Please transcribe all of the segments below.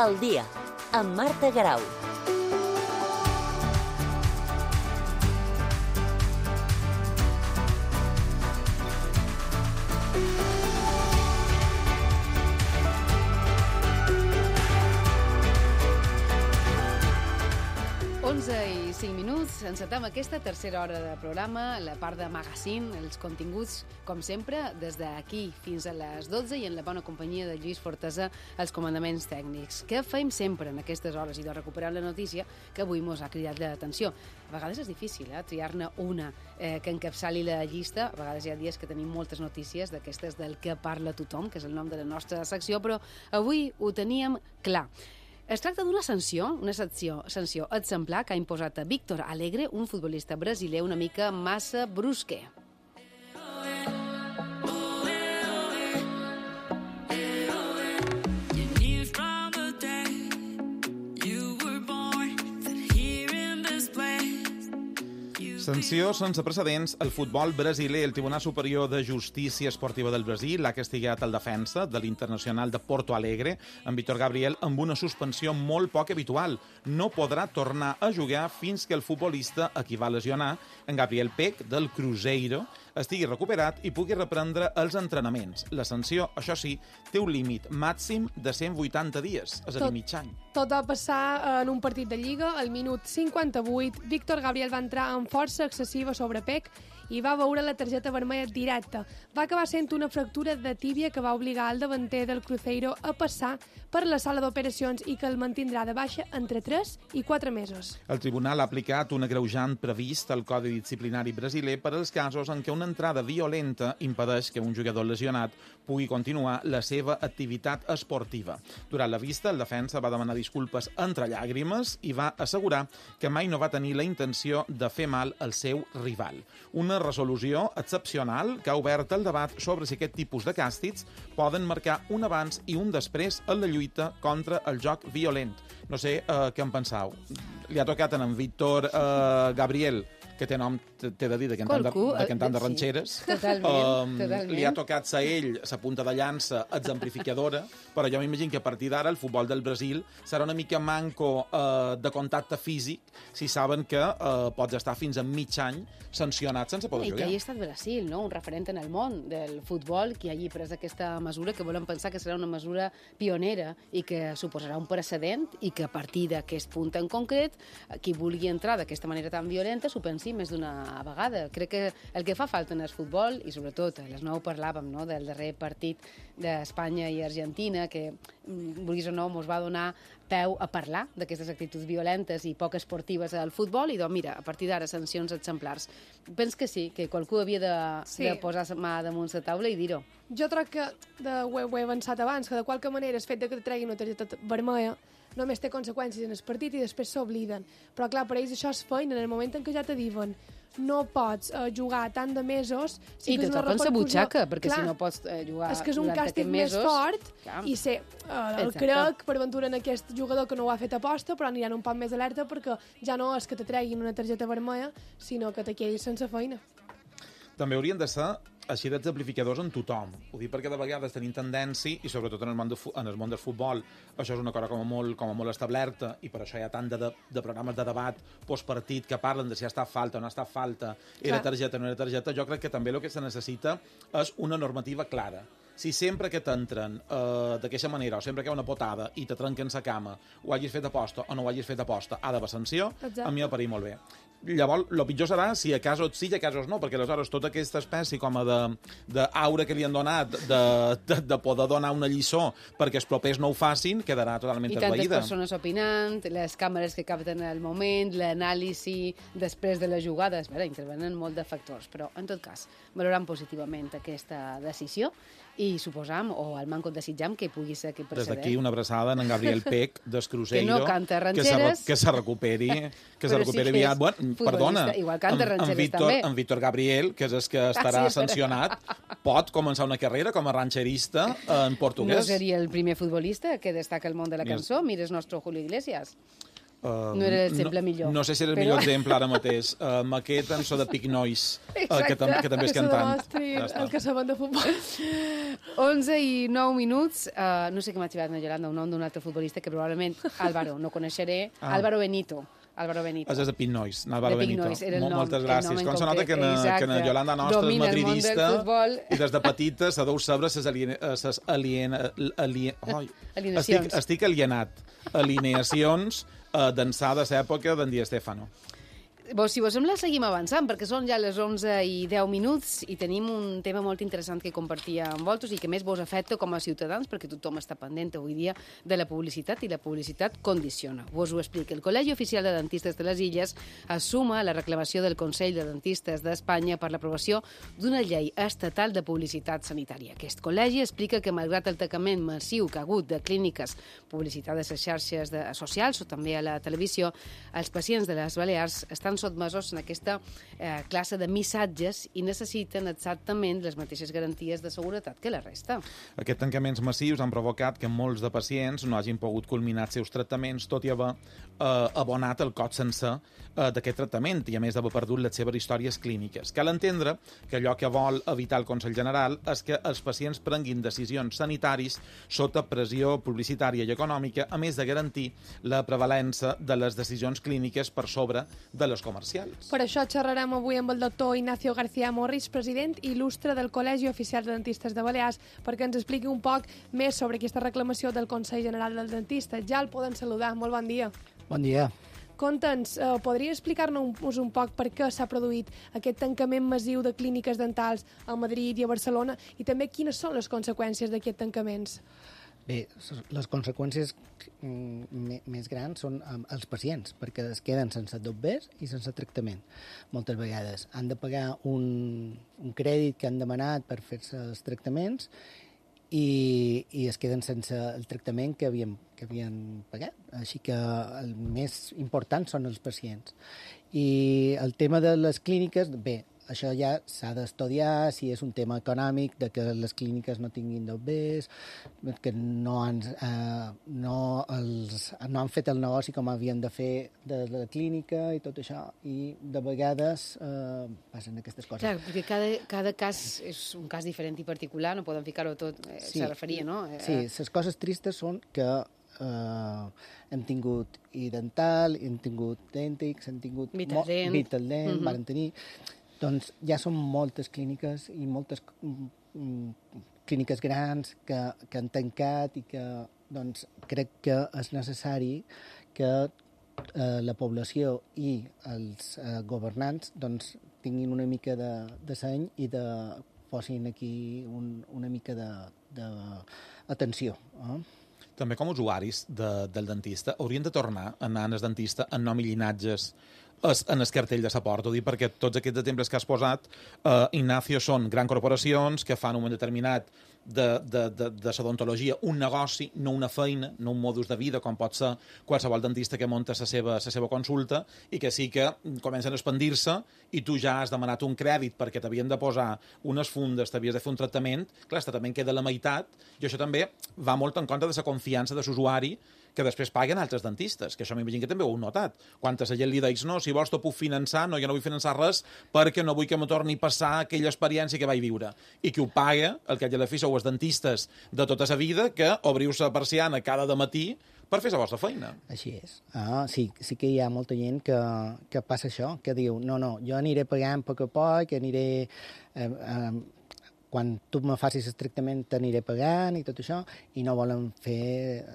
Al dia, amb Marta Garau. I 5 minuts, encetem aquesta tercera hora de programa, la part de magazine, els continguts, com sempre, des d'aquí fins a les 12 i en la bona companyia de Lluís Fortesa, els comandaments tècnics. Què fem sempre en aquestes hores? I de recuperar la notícia que avui mos ha cridat l'atenció. A vegades és difícil, triar-ne una que encapçali la llista. A vegades hi ha dies que tenim moltes notícies d'aquestes del que parla tothom, que és el nom de la nostra secció, però avui ho teníem clar. Es tracta d'una sanció exemplar que ha imposat a Víctor Alegre, un futbolista brasiler una mica massa brusque. Sanció sense precedents. El futbol brasiler, el Tribunal Superior de Justícia Esportiva del Brasil, l'ha castigat el defensa de l'Internacional de Porto Alegre, en Vítor Gabriel, amb una suspensió molt poc habitual. No podrà tornar a jugar fins que el futbolista a qui va lesionar, en Gabriel Peck, del Cruzeiro, estigui recuperat i pugui reprendre els entrenaments. La sanció, això sí, té un límit màxim de 180 dies, és a dir, mig any. Tot va passar en un partit de Lliga. Al minut 58, Víctor Gabriel va entrar amb força excessiva sobre Peck i va veure la targeta vermella directa. Va acabar sent una fractura de tíbia que va obligar el davanter del Cruzeiro a passar per la sala d'operacions i que el mantindrà de baixa entre 3 i 4 mesos. El tribunal ha aplicat un agreujant previst al Codi Disciplinari brasiler per als casos en què una entrada violenta impedeix que un jugador lesionat pugui continuar la seva activitat esportiva. Durant la vista, el defensa va demanar disculpes entre llàgrimes i va assegurar que mai no va tenir la intenció de fer mal al seu rival. Una resolució excepcional que ha obert el debat sobre si aquest tipus de càstigs poden marcar un abans i un després en la lluita contra el joc violent. No sé què en penseu. Li ha tocat en Víctor Gabriel, que té nom, t'he de dir, de cantant de ranxeres. Sí, totalment. Li ha tocat ser ell, sa punta de llança exemplificadora, però jo m'imagino que a partir d'ara el futbol del Brasil serà una mica manco de contacte físic si saben que pots estar fins a mig any sancionat sense poder jugar. I que hi ha estat Brasil, no? Un referent en el món del futbol, que hagi pres aquesta mesura, que volem pensar que serà una mesura pionera i que suposarà un precedent i que a partir d'aquest punt en concret, qui vulgui entrar d'aquesta manera tan violenta s'ho pensi més d'una vegada. Crec que el que fa falta en el futbol, i sobretot a les 9 parlàvem, no?, del darrer partit d'Espanya i Argentina, que, vulguis o no, mos va donar peu a parlar d'aquestes actituds violentes i poc esportives al futbol, i doncs mira, a partir d'ara sancions exemplars. Pens que sí, que qualcú havia de posar la mà damunt la taula i dir-ho. Jo crec que ho he avançat abans, que de qualque manera el fet que te treguin una targeta vermella només té conseqüències en el partit i després s'obliden. Però clar, per ells això és feina. En el moment en què ja te diuen no pots jugar tant de mesos... I te toquen la butxaca, perquè si no pots jugar és que és un càstig més fort i crec, per aventura, en aquest jugador que no ho ha fet aposta, però aniran un poc més alerta perquè ja no és que te treguin una targeta vermella, sinó que te quedis sense feina. També haurien de ser així d'exemplificadors en tothom. Ho dic perquè de vegades tenim tendència, i sobretot en el món del futbol, això és una cosa com a molt establerta, i per això hi ha tant de programes de debat postpartit que parlen de si ha estat falta o no ha estat falta, era targeta o no era targeta. Jo crec que també el que se necessita és una normativa clara. Si sempre que t'entren d'aquesta manera, o sempre que hi ha una potada i te trenquen la cama, ho hagis fet aposta o no ho hagis fet aposta, ha d'haver sanció. Exacte. A mi m'ha parit molt bé. Llavors, el pitjor serà si a casos sí i a casos no, perquè aleshores tota aquesta espècie com a d'aura que li han donat de poder donar una lliçó perquè els propers no ho facin, quedarà totalment esvaïda. I tantes persones opinant, les càmeres que capten el moment, l'anàlisi després de les jugades, intervenen molt de factors, però en tot cas, valorant positivament aquesta decisió i suposam, o al manco desitjam, que pugui ser aquest precedent. Des d'aquí una abraçada en Gabriel Peck, del Cruzeiro, que no canta ranxeres, que se recuperi aviat. Bueno, perdona, en Vítor Gabriel, que és el que estarà sancionat, pot començar una carrera com a ranxerista en portuguès. No seria el primer futbolista que destaca el món de la cançó. Mira el nostre Julio Iglesias. No era l'exemple millor. No sé si era el millor exemple ara mateix. Amb aquest en so de Pic Noise, que també és cantant. El que saben de futbol. 11:09. No sé què m'ha xivat, Yolanda, un nom d'un altre futbolista que probablement, Álvaro, no coneixeré. Álvaro Benito. És de Pic Noise, Álvaro Benito. Moltes gràcies. Com se nota que na Yolanda nostra és madridista i des de petita se deu saber estic alienat. Alineacions d'ençà de l'època d'en Di Stéfano. Si vos sembla, seguim avançant, perquè són ja les 11:10 i tenim un tema molt interessant que compartir amb vosaltres i que més vos afecta com a ciutadans, perquè tothom està pendent avui dia de la publicitat i la publicitat condiciona. Vos ho explico. El Col·legi Oficial de Dentistes de les Illes assuma la reclamació del Consell de Dentistes d'Espanya per l'aprovació d'una llei estatal de publicitat sanitària. Aquest col·legi explica que, malgrat el tancament massiu que ha hagut de clíniques publicitades a les xarxes socials o també a la televisió, els pacients de les Balears estan sotmesos en aquesta classe de missatges i necessiten exactament les mateixes garanties de seguretat que la resta. Aquests tancaments massius han provocat que molts de pacients no hagin pogut culminar els seus tractaments, tot i haver abonat el cost sencer d'aquest tractament i, a més, d'haver perdut les seves històries clíniques. Cal entendre que allò que vol evitar el Consell General és que els pacients prenguin decisions sanitaris sota pressió publicitària i econòmica, a més de garantir la prevalença de les decisions clíniques per sobre de les comercials. Per això xerrarem avui amb el doctor Ignacio García Morris, president il·lustre del Col·legi Oficial de Dentistes de Balears, perquè ens expliqui un poc més sobre aquesta reclamació del Consell General del Dentista. Ja el poden saludar. Molt bon dia. Bon dia. Conta'ns, podria explicar-nos un poc per què s'ha produït aquest tancament massiu de clíniques dentals a Madrid i a Barcelona i també quines són les conseqüències d'aquests tancaments? Bé, les conseqüències més grans són els pacients, perquè es queden sense dobbers i sense tractament. Moltes vegades han de pagar un crèdit que han demanat per fer-se els tractaments i es queden sense el tractament que havien pagat. Així que el més important són els pacients. I el tema de les clíniques, bé, això ja s'ha d'estudiar, si és un tema econòmic, de que les clíniques no tinguin dobbers, que no han fet el negoci com havien de fer de la clínica i tot això, i de vegades passen aquestes coses. Clar, perquè cada cas és un cas diferent i particular, no podem ficar-ho tot, se referia, no? Sí, les coses tristes són que hem tingut dental, hem tingut dèntics, hem tingut Vitaldent, varen tenir... Doncs ja són moltes clíniques i moltes clíniques grans que han tancat i que doncs, crec que és necessari que la població i els governants doncs, tinguin una mica de seny i posin aquí una mica d'atenció. També com a usuaris del dentista haurien de tornar a anar al dentista en nom i llinatges en el cartell de la porta, perquè tots aquests exemples que has posat, Ignacio, són grans corporacions que fan un moment determinat de l'odontologia un negoci, no una feina, no un modus de vida, com pot ser qualsevol dentista que munta la seva consulta, i que sí que comencen a expandir-se i tu ja has demanat un crèdit perquè t'havien de posar unes fundes, t'havies de fer un tractament, clar, el tractament queda a la meitat, i això també va molt en contra de la confiança de l'usuari que després paguen altres dentistes, que això m'imagino que també ho heu notat. Quan a la gent li deis, no, si vols t'ho puc finançar, no, jo no vull finançar res perquè no vull que me torni a passar aquella experiència que vaig viure. I qui ho paga, el que a la fi sou els dentistes de tota la vida, que obriu la persiana cada matí per fer la vostra feina. Així és. Sí que hi ha molta gent que passa això, que diu, no, jo aniré pagant a poc a poc, aniré... quan tu me facis el tractament t'aniré pagant i tot això, i no volen fer...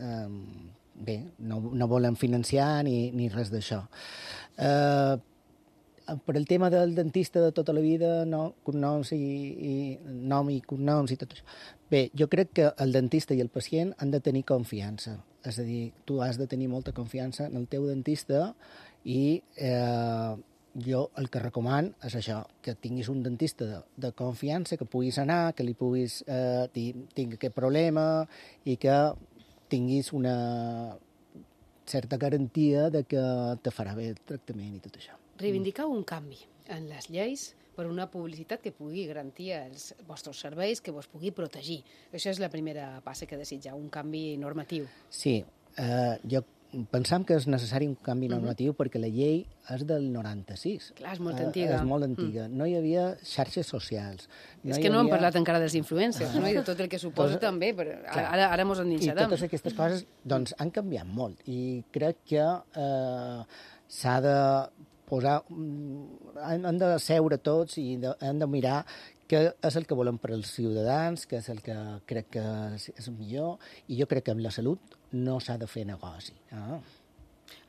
no volen financiar ni res d'això. Per el tema del dentista de tota la vida, cognoms nom i cognoms i tot això. Bé, jo crec que el dentista i el pacient han de tenir confiança. És a dir, tu has de tenir molta confiança en el teu dentista i jo el que recomano és això, que tinguis un dentista de confiança, que puguis anar, que li puguis dir tinc aquest problema i que tinguis una certa garantia de que te farà bé el tractament i tot això. Reivindicau un canvi en les lleis per una publicitat que pugui garantir els vostres serveis, que vos pugui protegir. Això és la primera passa que desitjau, un canvi normatiu. Sí, jo pensam que és necessari un canvi normatiu perquè la llei és del 96. Clar, és molt antiga. És molt antiga. No hi havia xarxes socials. És que no hem parlat encara dels influencers, no? I de tot el que suposa també, però ara mos endinsarem. I totes aquestes coses doncs, han canviat molt i crec que s'ha de posar... Han de seure tots i han de mirar què és el que volem per als ciutadans, què és el que crec que és millor, i jo crec que amb la salut no s'ha de fer negoci.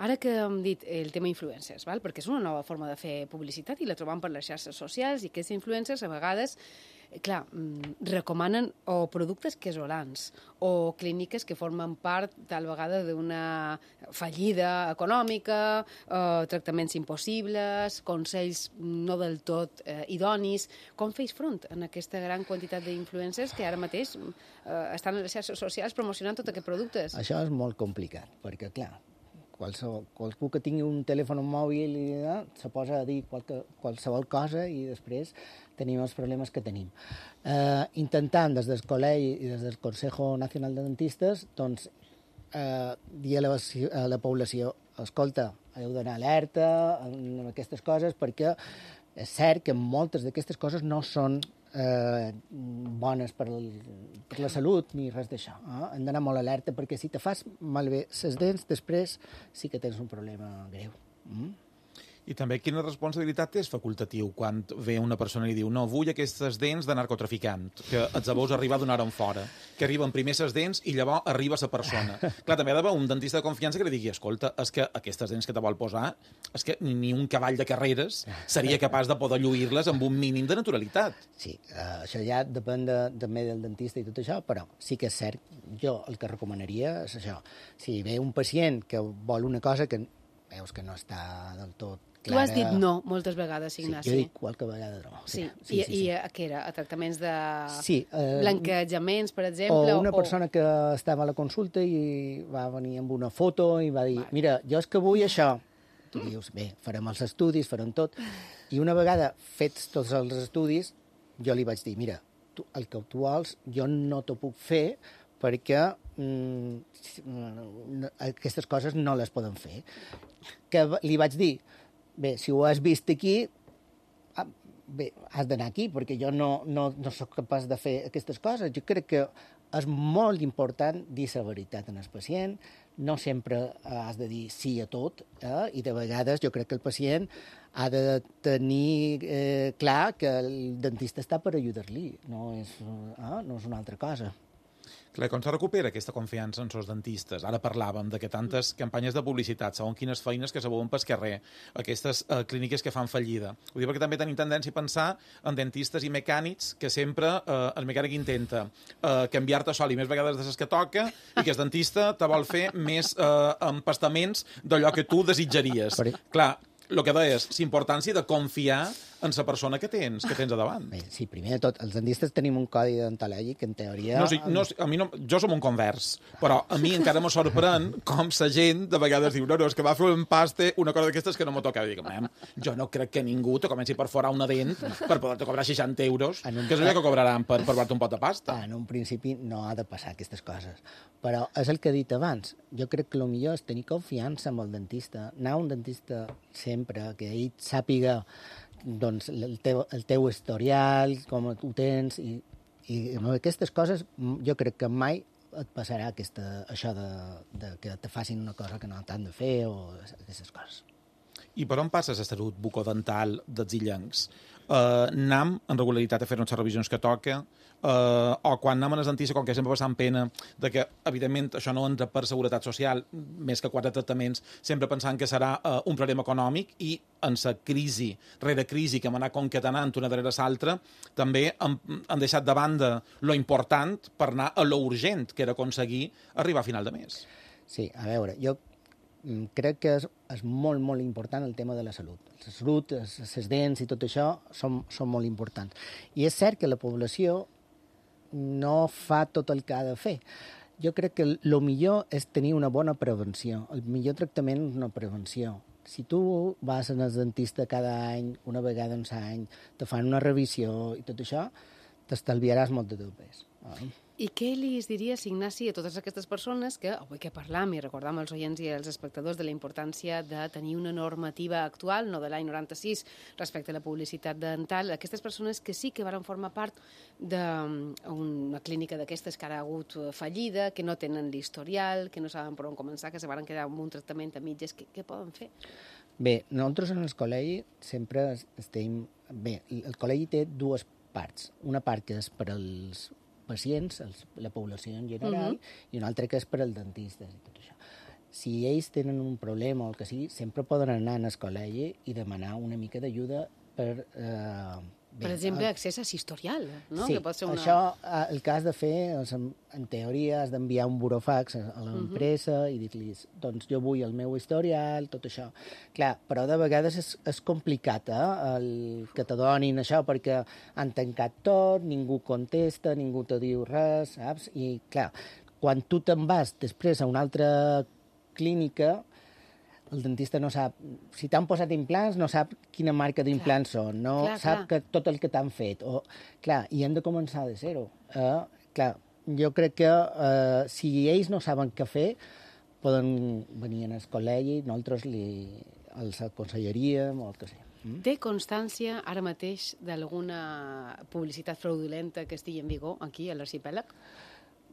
Ara que hem dit el tema influencers, val? Perquè és una nova forma de fer publicitat i la trobam per les xarxes socials i aquests influencers a vegades, clar, recomanen o productes casolans o clíniques que formen part tal vegada d'una fallida econòmica, tractaments impossibles, consells no del tot idonis. Com feis front en aquesta gran quantitat d'influencers que ara mateix estan a les xarxes socials promocionant tots aquests productes? Això és molt complicat, perquè, clar, qualsevol que tingui un telèfon mòbil se posa a dir qualsevol cosa i després tenim els problemes que tenim. Intentant des del col·legi i des del Consejo Nacional de Dentistes doncs, dir a la població escolta, heu d'anar alerta amb aquestes coses perquè és cert que moltes d'aquestes coses no són bones per la salut ni res d'això. Hem d'anar molt alerta perquè si te fas malbé les dents, després sí que tens un problema greu. I també quina responsabilitat és facultatiu quan ve una persona i diu no, vull aquestes dents de narcotraficant, que els veus arribar d'una hora en fora, que arriben primer les dents i llavors arriba la persona. Clar, també ha d'haver un dentista de confiança que li digui escolta, és que aquestes dents que te vol posar és que ni un cavall de carreres seria capaç de poder lluir-les amb un mínim de naturalitat. Sí, això ja depèn també del dentista i tot això, però sí que és cert, jo el que recomanaria és això. Si ve un pacient que vol una cosa que veus que no està del tot clara... Tu has dit no moltes vegades, Ignasi. Sí, jo dic qualque vegada no. Sí. I què era? A tractaments de blanquejaments, per exemple? O una persona que estava a la consulta i va venir amb una foto i va dir, mira, jo és que vull això. Tu dius, bé, farem els estudis, farem tot. I una vegada fets tots els estudis, jo li vaig dir, mira, el que tu vols jo no t'ho puc fer perquè aquestes coses no les poden fer. Que li vaig dir, bé, si ho has vist aquí, bé, has d'anar aquí, perquè jo no sóc capaç de fer aquestes coses. Jo crec que és molt important dir la veritat al pacient, no sempre has de dir sí a tot, i de vegades jo crec que el pacient ha de tenir clar que el dentista està per ajudar-li, no és una altra cosa. Clar, com se recupera aquesta confiança en els dentistes? Ara parlàvem de que tantes campanyes de publicitat, segons quines feines que se veuen pel carrer, aquestes clíniques que fan fallida. Ho dic perquè també tenim tendència a pensar en dentistes i mecànics que sempre el mecànic intenta canviar-te sol i més vegades de les que toca i que el dentista te vol fer més empastaments d'allò que tu desitjaries. Clar, el que deies, l'importància de confiar en la persona que tens a davant. Bé, sí, primer de tot, els dentistes tenim un codi deontològic que en teoria... Jo som un convers, però a mi encara me sorprèn com la gent de vegades diu no, és que va fer un empaste, una cosa d'aquestes que no m'ho toca. Dic, jo no crec que ningú te comenci per forar una dent per poder-te cobrar 60 euros, que és allò que cobraran per provar-te un pot de pasta. En un principi no ha de passar aquestes coses, però és el que he dit abans. Jo crec que el millor és tenir confiança amb el dentista, anar a un dentista sempre, que ell sàpiga doncs, el teu historial, com ho tens, i amb aquestes coses jo crec que mai et passarà això de que te facin una cosa que no t'han de fer o aquestes coses. I per on passa la salut bucodental dels illencs? Anem en regularitat a fer-nos les revisions que toca, o quan anem a les dentista, com que sempre passant pena de que, evidentment, això no entra per seguretat social, més que 4 tractaments, sempre pensant que serà un problema econòmic, i en la crisi, rere crisi, que hem anat concatenant una darrere l'altra, també han deixat de banda lo important per anar a lo urgent, que era aconseguir arribar a final de mes. Sí, a veure, jo crec que és molt, molt important el tema de la salut. La salut, les dents i tot això són molt importants. I és cert que la població no fa tot el que ha de fer. Jo crec que el millor és tenir una bona prevenció. El millor tractament és una prevenció. Si tu vas al dentista cada any, una vegada en l'any, te fan una revisió i tot això, t'estalviaràs molt de dubtes. I què li diries, Ignasi, a totes aquestes persones que avui que parlam i recordam als oients i als espectadors de la importància de tenir una normativa actual, no de l'any 96, respecte a la publicitat dental, aquestes persones que sí que van formar part d'una clínica d'aquestes que ara ha hagut fallida, que no tenen l'historial, que no saben per on començar, que se van quedar amb un tractament a mitges, què poden fer? Bé, nosaltres en el col·legi sempre estem... Bé, el col·legi té dues parts. Una part que és per als pacients, la població en general, i una altra que és per als dentistes i tot això. Si ells tenen un problema o el que sigui, sempre poden anar al col·legi i demanar una mica d'ajuda per... Per exemple, accés a historial, no? Sí, que pot ser una... això el que has de fer, en teoria, has d'enviar un burofax a l'empresa i dir-los, doncs jo vull el meu historial, tot això. Clar, però de vegades és complicat, que te donin això, perquè han tancat tot, ningú contesta, ningú te diu res, saps? I, clar, quan tu te'n vas després a una altra clínica, el dentista no sap, si t'han posat implants, no sap quina marca d'implants són, no sap que tot el que t'han fet. I hem de començar de zero. Jo crec que si ells no saben què fer, poden venir al col·legi, nosaltres els aconsellaríem o el que sigui. Té constància ara mateix d'alguna publicitat fraudulenta que estigui en vigor aquí a l'arxipèlag?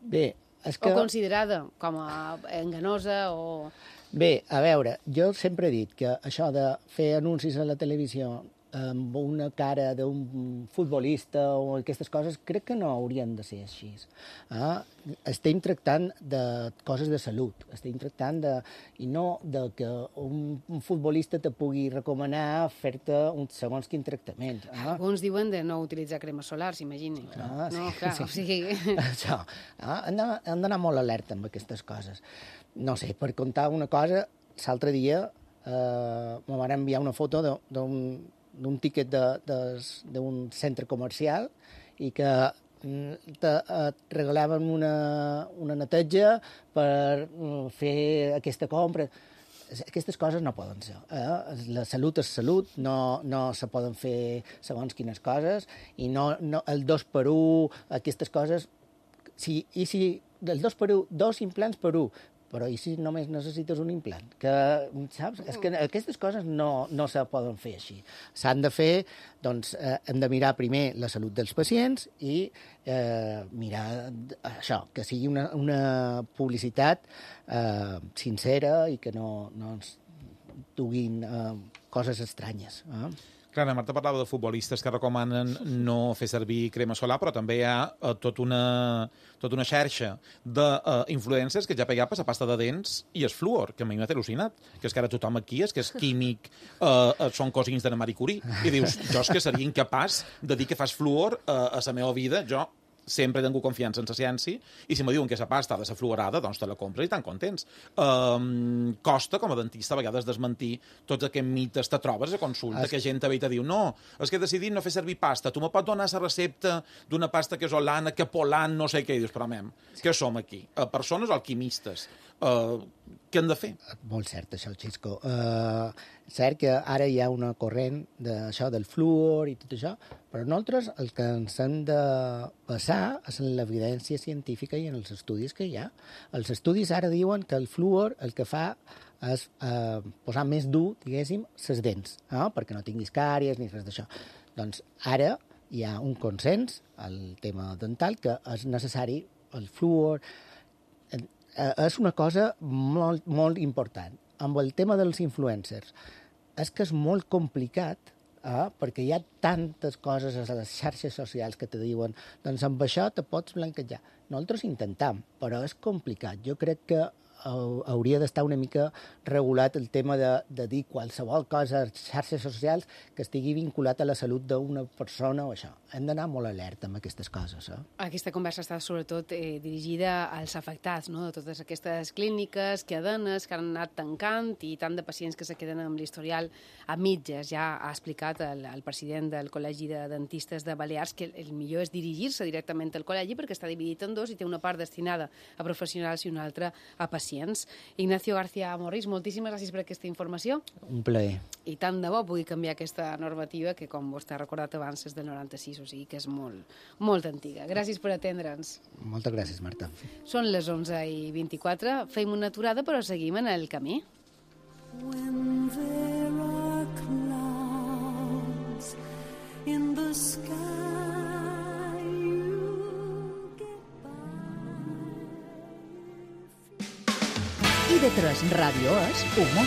Bé, és que... O considerada com a enganosa o... Bé, a veure, jo sempre he dit que això de fer anuncis a la televisió amb una cara d'un futbolista o aquestes coses, crec que no haurien de ser així. Estem tractant de coses de salut, estem tractant de... i no de que un futbolista te pugui recomanar fer-te un segons quin tractament. Alguns diuen de no utilitzar crema solar, s'imagini. No, clar, o sigui... Això, hem d'anar molt alerta amb aquestes coses. No sé, per contar una cosa, l'altre dia me van enviar una foto d'un tiquet d'un centre comercial i que et regalaven una neteja per fer aquesta compra. Aquestes coses no poden ser. La salut és salut, no se poden fer segons quines coses, i no el 2x1, aquestes coses... I si el 2x1, 2 implants per 1, però i si només necessites un implant? Saps? És que aquestes coses no se poden fer així. S'han de fer, doncs, hem de mirar primer la salut dels pacients i mirar això, que sigui una publicitat sincera i que no ens duguin coses estranyes. Clar, la Marta parlava de futbolistes que recomanen no fer servir crema solar, però també hi ha tota una xarxa d'influències que ja pegava per la pasta de dents i el fluor, que a mi m'ha al·lucinat, que és que ara tothom aquí és que és químic, són cosins de la Marie Curie, i dius, jo és que seria incapaç de dir que fas fluor a la meva vida, jo sempre he tingut confiança en la ciència, i si me diuen que la pasta ha de ser fluorada, doncs te la compres i tan contents. Costa, com a dentista, a vegades desmentir tots aquests mites. Te trobes a consulta que gent ve i te diu no, és que he decidit no fer servir pasta, tu me pots donar la recepta d'una pasta casolana, capolant, no sé què, i dius, però què som aquí? Persones alquimistes. Què han de fer? Molt cert, això, Xisco. Cert que ara hi ha una corrent d'això del fluor i tot això, però nosaltres el que ens hem de basar és en l'evidència científica i en els estudis que hi ha. Els estudis ara diuen que el fluor el que fa és posar més dur, diguéssim, les dents, perquè no tinguis càries ni res d'això. Doncs ara hi ha un consens al tema dental que és necessari el fluor. És una cosa molt, molt important. Amb el tema dels influencers, és que és molt complicat, perquè hi ha tantes coses a les xarxes socials que te diuen doncs amb això te pots blanquejar. Nosaltres intentem, però és complicat. Jo crec que hauria d'estar una mica regulat el tema de dir qualsevol cosa a les xarxes socials que estigui vinculat a la salut d'una persona o això. Hem d'anar molt alerta amb aquestes coses. Aquesta conversa està sobretot dirigida als afectats, no? De totes aquestes clíniques, cadenes que han anat tancant i tant de pacients que se queden amb l'historial a mitges. Ja ha explicat el president del Col·legi de Dentistes de Balears que el millor és dirigir-se directament al col·legi perquè està dividit en dos i té una part destinada a professionals i una altra a pacients. pacients. Ignacio García Morris, moltíssimes gràcies per aquesta informació. Un plaer. I tant de bo pugui canviar aquesta normativa que, com vostè ha recordat abans, és del 96, o sigui que és molt antiga. Gràcies per atendre'ns. Moltes gràcies, Marta. Són les 11:24, fem una aturada però seguim en el camí. When there are clouds in the sky, you get by. IB3 Ràdio és humor.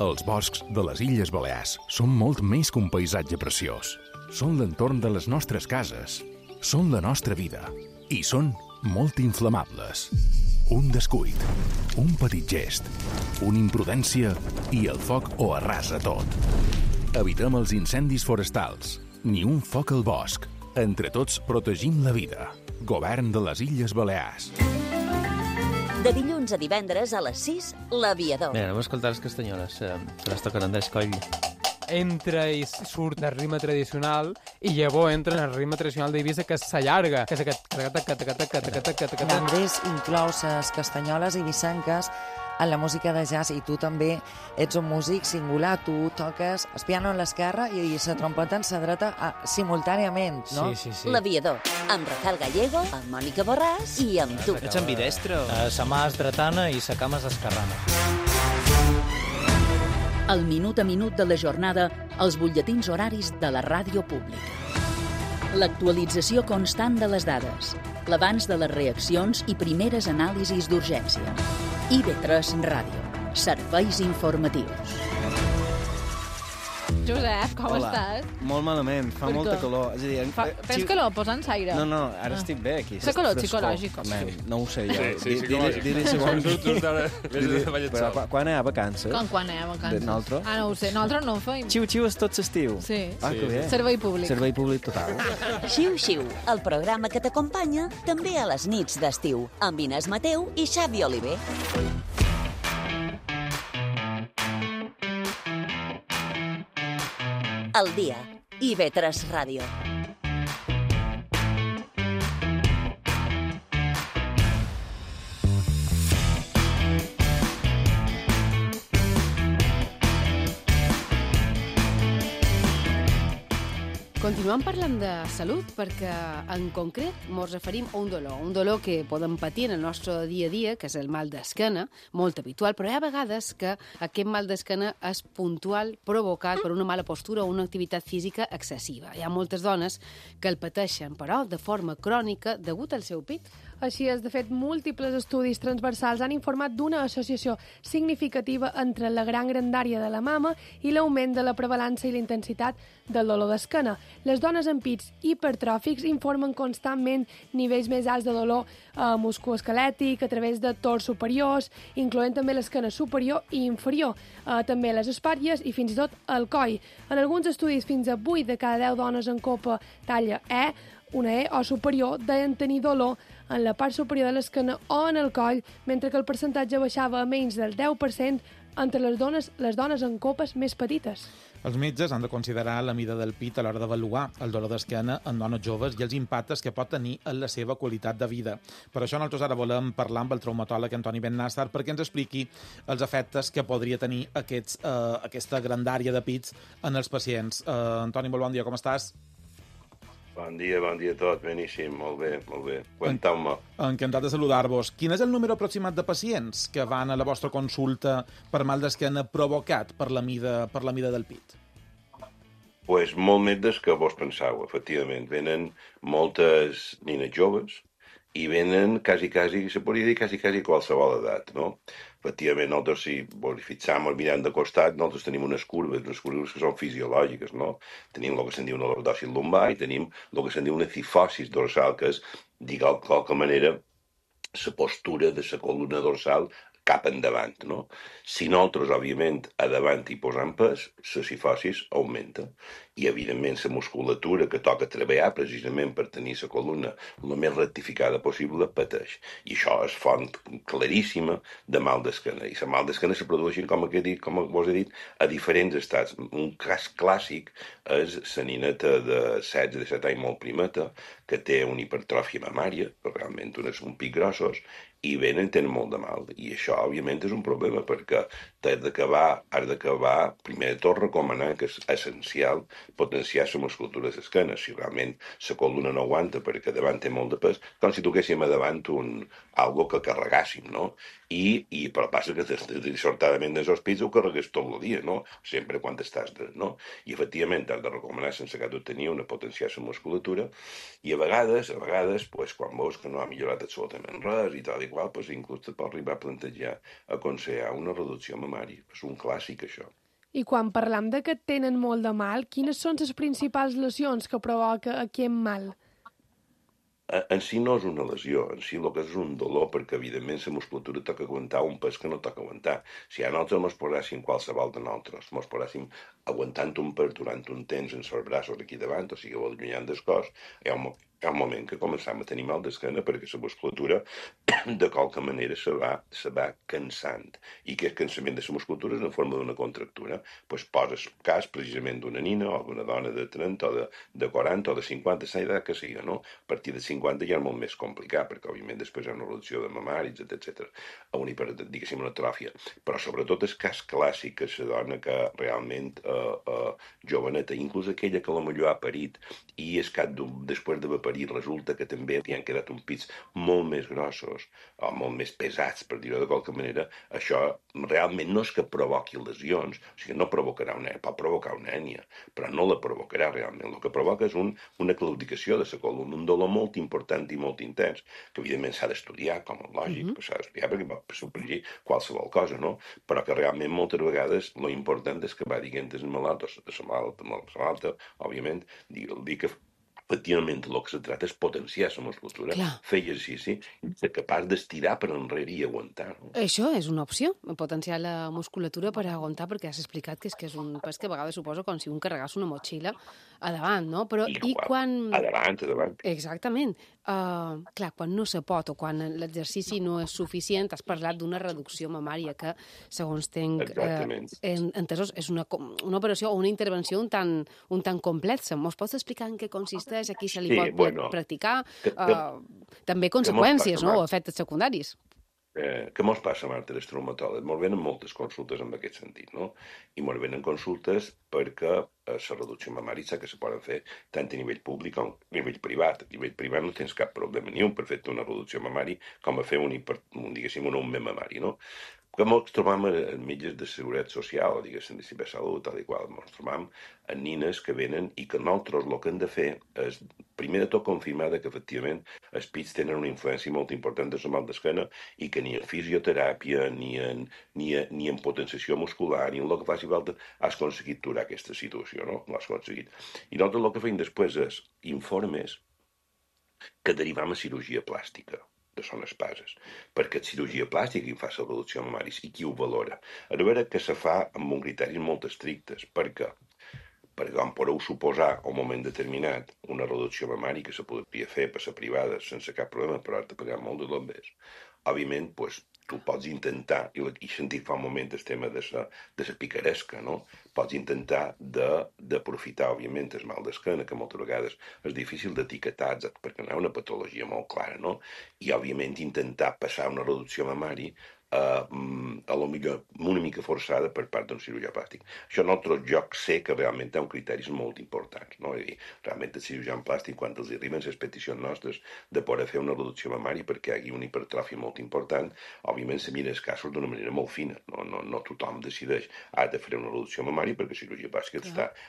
Els boscs de les Illes Balears són molt més que un paisatge preciós. Són l'entorn de les nostres cases. Són la nostra vida. I són molt inflamables. Un descuit, un petit gest, una imprudència i el foc ho arrasa tot. Evitem els incendis forestals. Ni un foc al bosc. Entre tots protegim la vida. Govern de les Illes Balears. De dilluns a divendres a les 6, L'Aviador. Bé, anem a escoltar les castanyoles. Se les toquen en d'escoll. Entra i surt del ritme tradicional i llavors entra en el ritme tradicional d'Eivissa, que s'allarga, que és aquest... Andrés inclou les castanyoles eivissenques en la música de jazz i tu també ets un músic singular, tu toques el piano a l'esquerra i la trompeta en la dreta simultàniament, no? Sí. L'Aviador, amb Rafael Gallego, amb Mònica Borràs i amb tu. Ets ambidestre? Sa mà és dretana i sa cama és esquerrana. El minut a minut de la jornada, els butlletins horaris de la ràdio pública. L'actualització constant de les dades, l'abans de les reaccions i primeres anàlisis d'urgència. IB3 Ràdio. Serveis informatius. Josep, com estàs? Molt malament, fa molta calor. És a dir, tens calor? Posa'ns aire. No, ara estic bé aquí. Fa calor psicològic. No ho sé jo. Sí, psicològic. Quan hi ha vacances? Quan hi ha vacances? Nosaltres? No ho sé, nosaltres no ho feim. Xiu-xiu és tot l'estiu. Sí. Que bé. Servei públic. Servei públic total. Xiu-xiu, el programa que t'acompanya també a les nits d'estiu, amb Inés Mateu i Xavi Oliver. El dia, IB3 Ràdio. Continuem parlant de salut perquè, en concret, ens referim a un dolor que podem patir en el nostre dia a dia, que és el mal d'esquena, molt habitual, però hi ha vegades que aquest mal d'esquena és puntual, provocat per una mala postura o una activitat física excessiva. Hi ha moltes dones que el pateixen, però de forma crònica, degut al seu pit. Així és, de fet, múltiples estudis transversals han informat d'una associació significativa entre la gran grandària de la mama i l'augment de la prevalença i la intensitat del dolor d'esquena. Les dones amb pits hipertròfics informen constantment nivells més alts de dolor musculoesquelètic a través de tors superiors, incloent també l'esquena superior i inferior, també les espatlles i fins i tot el coll. En alguns estudis, fins a 8 de cada 10 dones en copa talla E, una E o superior, deien tenir dolor en la part superior de l'esquena o en el coll, mentre que el percentatge baixava a menys del 10% entre les dones en copes més petites. Els metges han de considerar la mida del pit a l'hora d'avaluar el dolor d'esquena en dones joves i els impactes que pot tenir en la seva qualitat de vida. Per això nosaltres ara volem parlar amb el traumatòleg Antoni Bennàstar perquè ens expliqui els efectes que podria tenir aquesta grandària de pits en els pacients. Antoni, molt bon dia, com estàs? Bon dia a tot, beníssim, molt bé. Conteu-me. Encantat de saludar-vos. Quin és el número aproximat de pacients que van a la vostra consulta per mal d'esquena provocat per la mida del pit? Pues molt més des que vos penseu, efectivament. Venen moltes nines joves i venen quasi, se podria dir quasi qualsevol edat, no? Efectivament, nosaltres, si vos fixam mirant de costat, nosaltres tenim unes curves que són fisiològiques, no? Tenim el que se'n diu una lordòcil lumbar i tenim el que se'n diu una cifosis dorsal, que és, diguem de qualque manera, la postura de la columna dorsal cap endavant, no? Si nosaltres, òbviament, a davant hi posam pes, la cifosis augmenta. I, evidentment, la musculatura que toca treballar precisament per tenir la columna el més rectificada possible pateix. I això és font claríssima de mal d'esquena. I la mal d'esquena se produeixen, com vos he dit, a diferents estats. Un cas clàssic és la nineta de 16-17 anys molt primeta, que té una hipertròfia mamària, realment un pic grossos, i tenen molt de mal. I això, òbviament, és un problema, perquè has d'acabar, primer de tot, recomanar que és essencial potenciar la musculatura de l'esquena. Si realment la columna no aguanta perquè davant té molt de pes, com si toquéssim a davant algo que carregàssim, no? Però passa que dissortadament dels hospits ho carregues tot el dia, no? Sempre quan estàs no? I efectivament has de recomanar sense que tu tenir una potenciar la musculatura, i a vegades, pues, quan veus que no ha millorat absolutament res i tal i qual, pues, inclús te pot arribar a plantejar aconsellar una reducció mamària. És un clàssic, això. I quan parlam de que tenen molt de mal, quines són les principals lesions que provoca aquest mal? En si no és una lesió, en si el que és un dolor, perquè evidentment la musculatura toca aguantar un pes que no toca aguantar. Si a nosaltres ens poséssim qualsevol de nosaltres, ens poséssim aguantant un pes durant un temps en els braços aquí davant, o sigui, allunyant del cos, hi ha un moment que començam a tenir mal d'esquena perquè la musculatura de qualque manera se va cansant. I aquest cansament de la musculatura és en forma d'una contractura. Pues poses cas precisament d'una nina o d'una dona de 30 o de 40 o de 50, la edat que sigui, no? A partir de 50 ja és molt més complicat, perquè òbviament després hi ha una reducció de mamaris, etc. Diguéssim, una atròfia. Però sobretot el cas clàssic que la dona que realment joveneta, inclús aquella que potser ha parit i és que després d'haver parit resulta que també li han quedat uns pits molt més grossos o molt més pesats, per dir-ho de qualque manera, això realment no és que provoqui lesions, o sigui, no provocarà pot provocar una hènia, però no la provocarà realment. El que provoca és una claudicació de la columna, un dolor molt important i molt intens, que evidentment s'ha d'estudiar, com a lògic, s'ha d'estudiar perquè pot suprimir qualsevol cosa, no? Però que realment moltes vegades lo important és que va dient el malalt, o la malalta, òbviament, dir que efectivament el que se tracta és potenciar la musculatura, fer exercici i ser capaç d'estirar per enrere i aguantar. No? Això és una opció, potenciar la musculatura per aguantar, perquè has explicat que és un pes que a vegades suposa com si un carregàs una motxilla a davant, no? Però i quan... A davant. Exactament. Clar, quan no se pot o quan l'exercici no és suficient, has parlat d'una reducció mamària que, segons tenc entesos, és una operació o una intervenció un tant complexa. Mos pots explicar en què consisteix, a qui se li pot practicar? També conseqüències, no? O efectes secundaris. Què mos passa, Marta, els traumatòlegs? Mos venen moltes consultes en aquest sentit, no? I mos venen consultes perquè la reducció mamària que se poden fer tant a nivell públic com a nivell privat. A nivell privat no tens cap problema ni un per fer una reducció mamària com a fer un augment mamari, no? Que ens trobam en mitjans de seguretat social, diguéssim, de cibersalut, tal i qual. Ens trobam en nines que venen i que nosaltres el que hem de fer és, primer de tot, confirmar que efectivament els pits tenen una influència molt important de la mal d'esquena i que ni en fisioteràpia, ni en potenciació muscular, ni en el que faci falta, has aconseguit aturar aquesta situació, no? L'has aconseguit. I nosaltres el que fem després és informes que derivam a cirurgia plàstica de son espases, perquè cirurgia plàstica qui fa la reducció mamària i qui ho valora. A veure que se fa amb un criteris molt estrictes, perquè com podeu suposar a un moment determinat una reducció mamària que se podria fer per la privada sense cap problema, però has de pagar molt de bombers. Òbviament, tu pots intentar, i sentit fa un moment el tema de la picaresca, no? Pots intentar d'aprofitar, òbviament, el mal d'esquena, que moltes vegades és difícil d'etiquetar, perquè no hi ha una patologia molt clara, no? I, òbviament, intentar passar una reducció mamària a lo millor una mica forçada per part d'un cirurgià plàstic. Això en altres jocs sé que realment hi ha criteris molt importants, no? És dir, realment el cirurgià plàstic, quan els arriben les peticions nostres de poder fer una reducció mamària perquè hi hagi una hipertròfia molt important, òbviament se mira els casos d'una manera molt fina. No tothom decideix de fer una reducció mamària perquè la cirurgia plàstica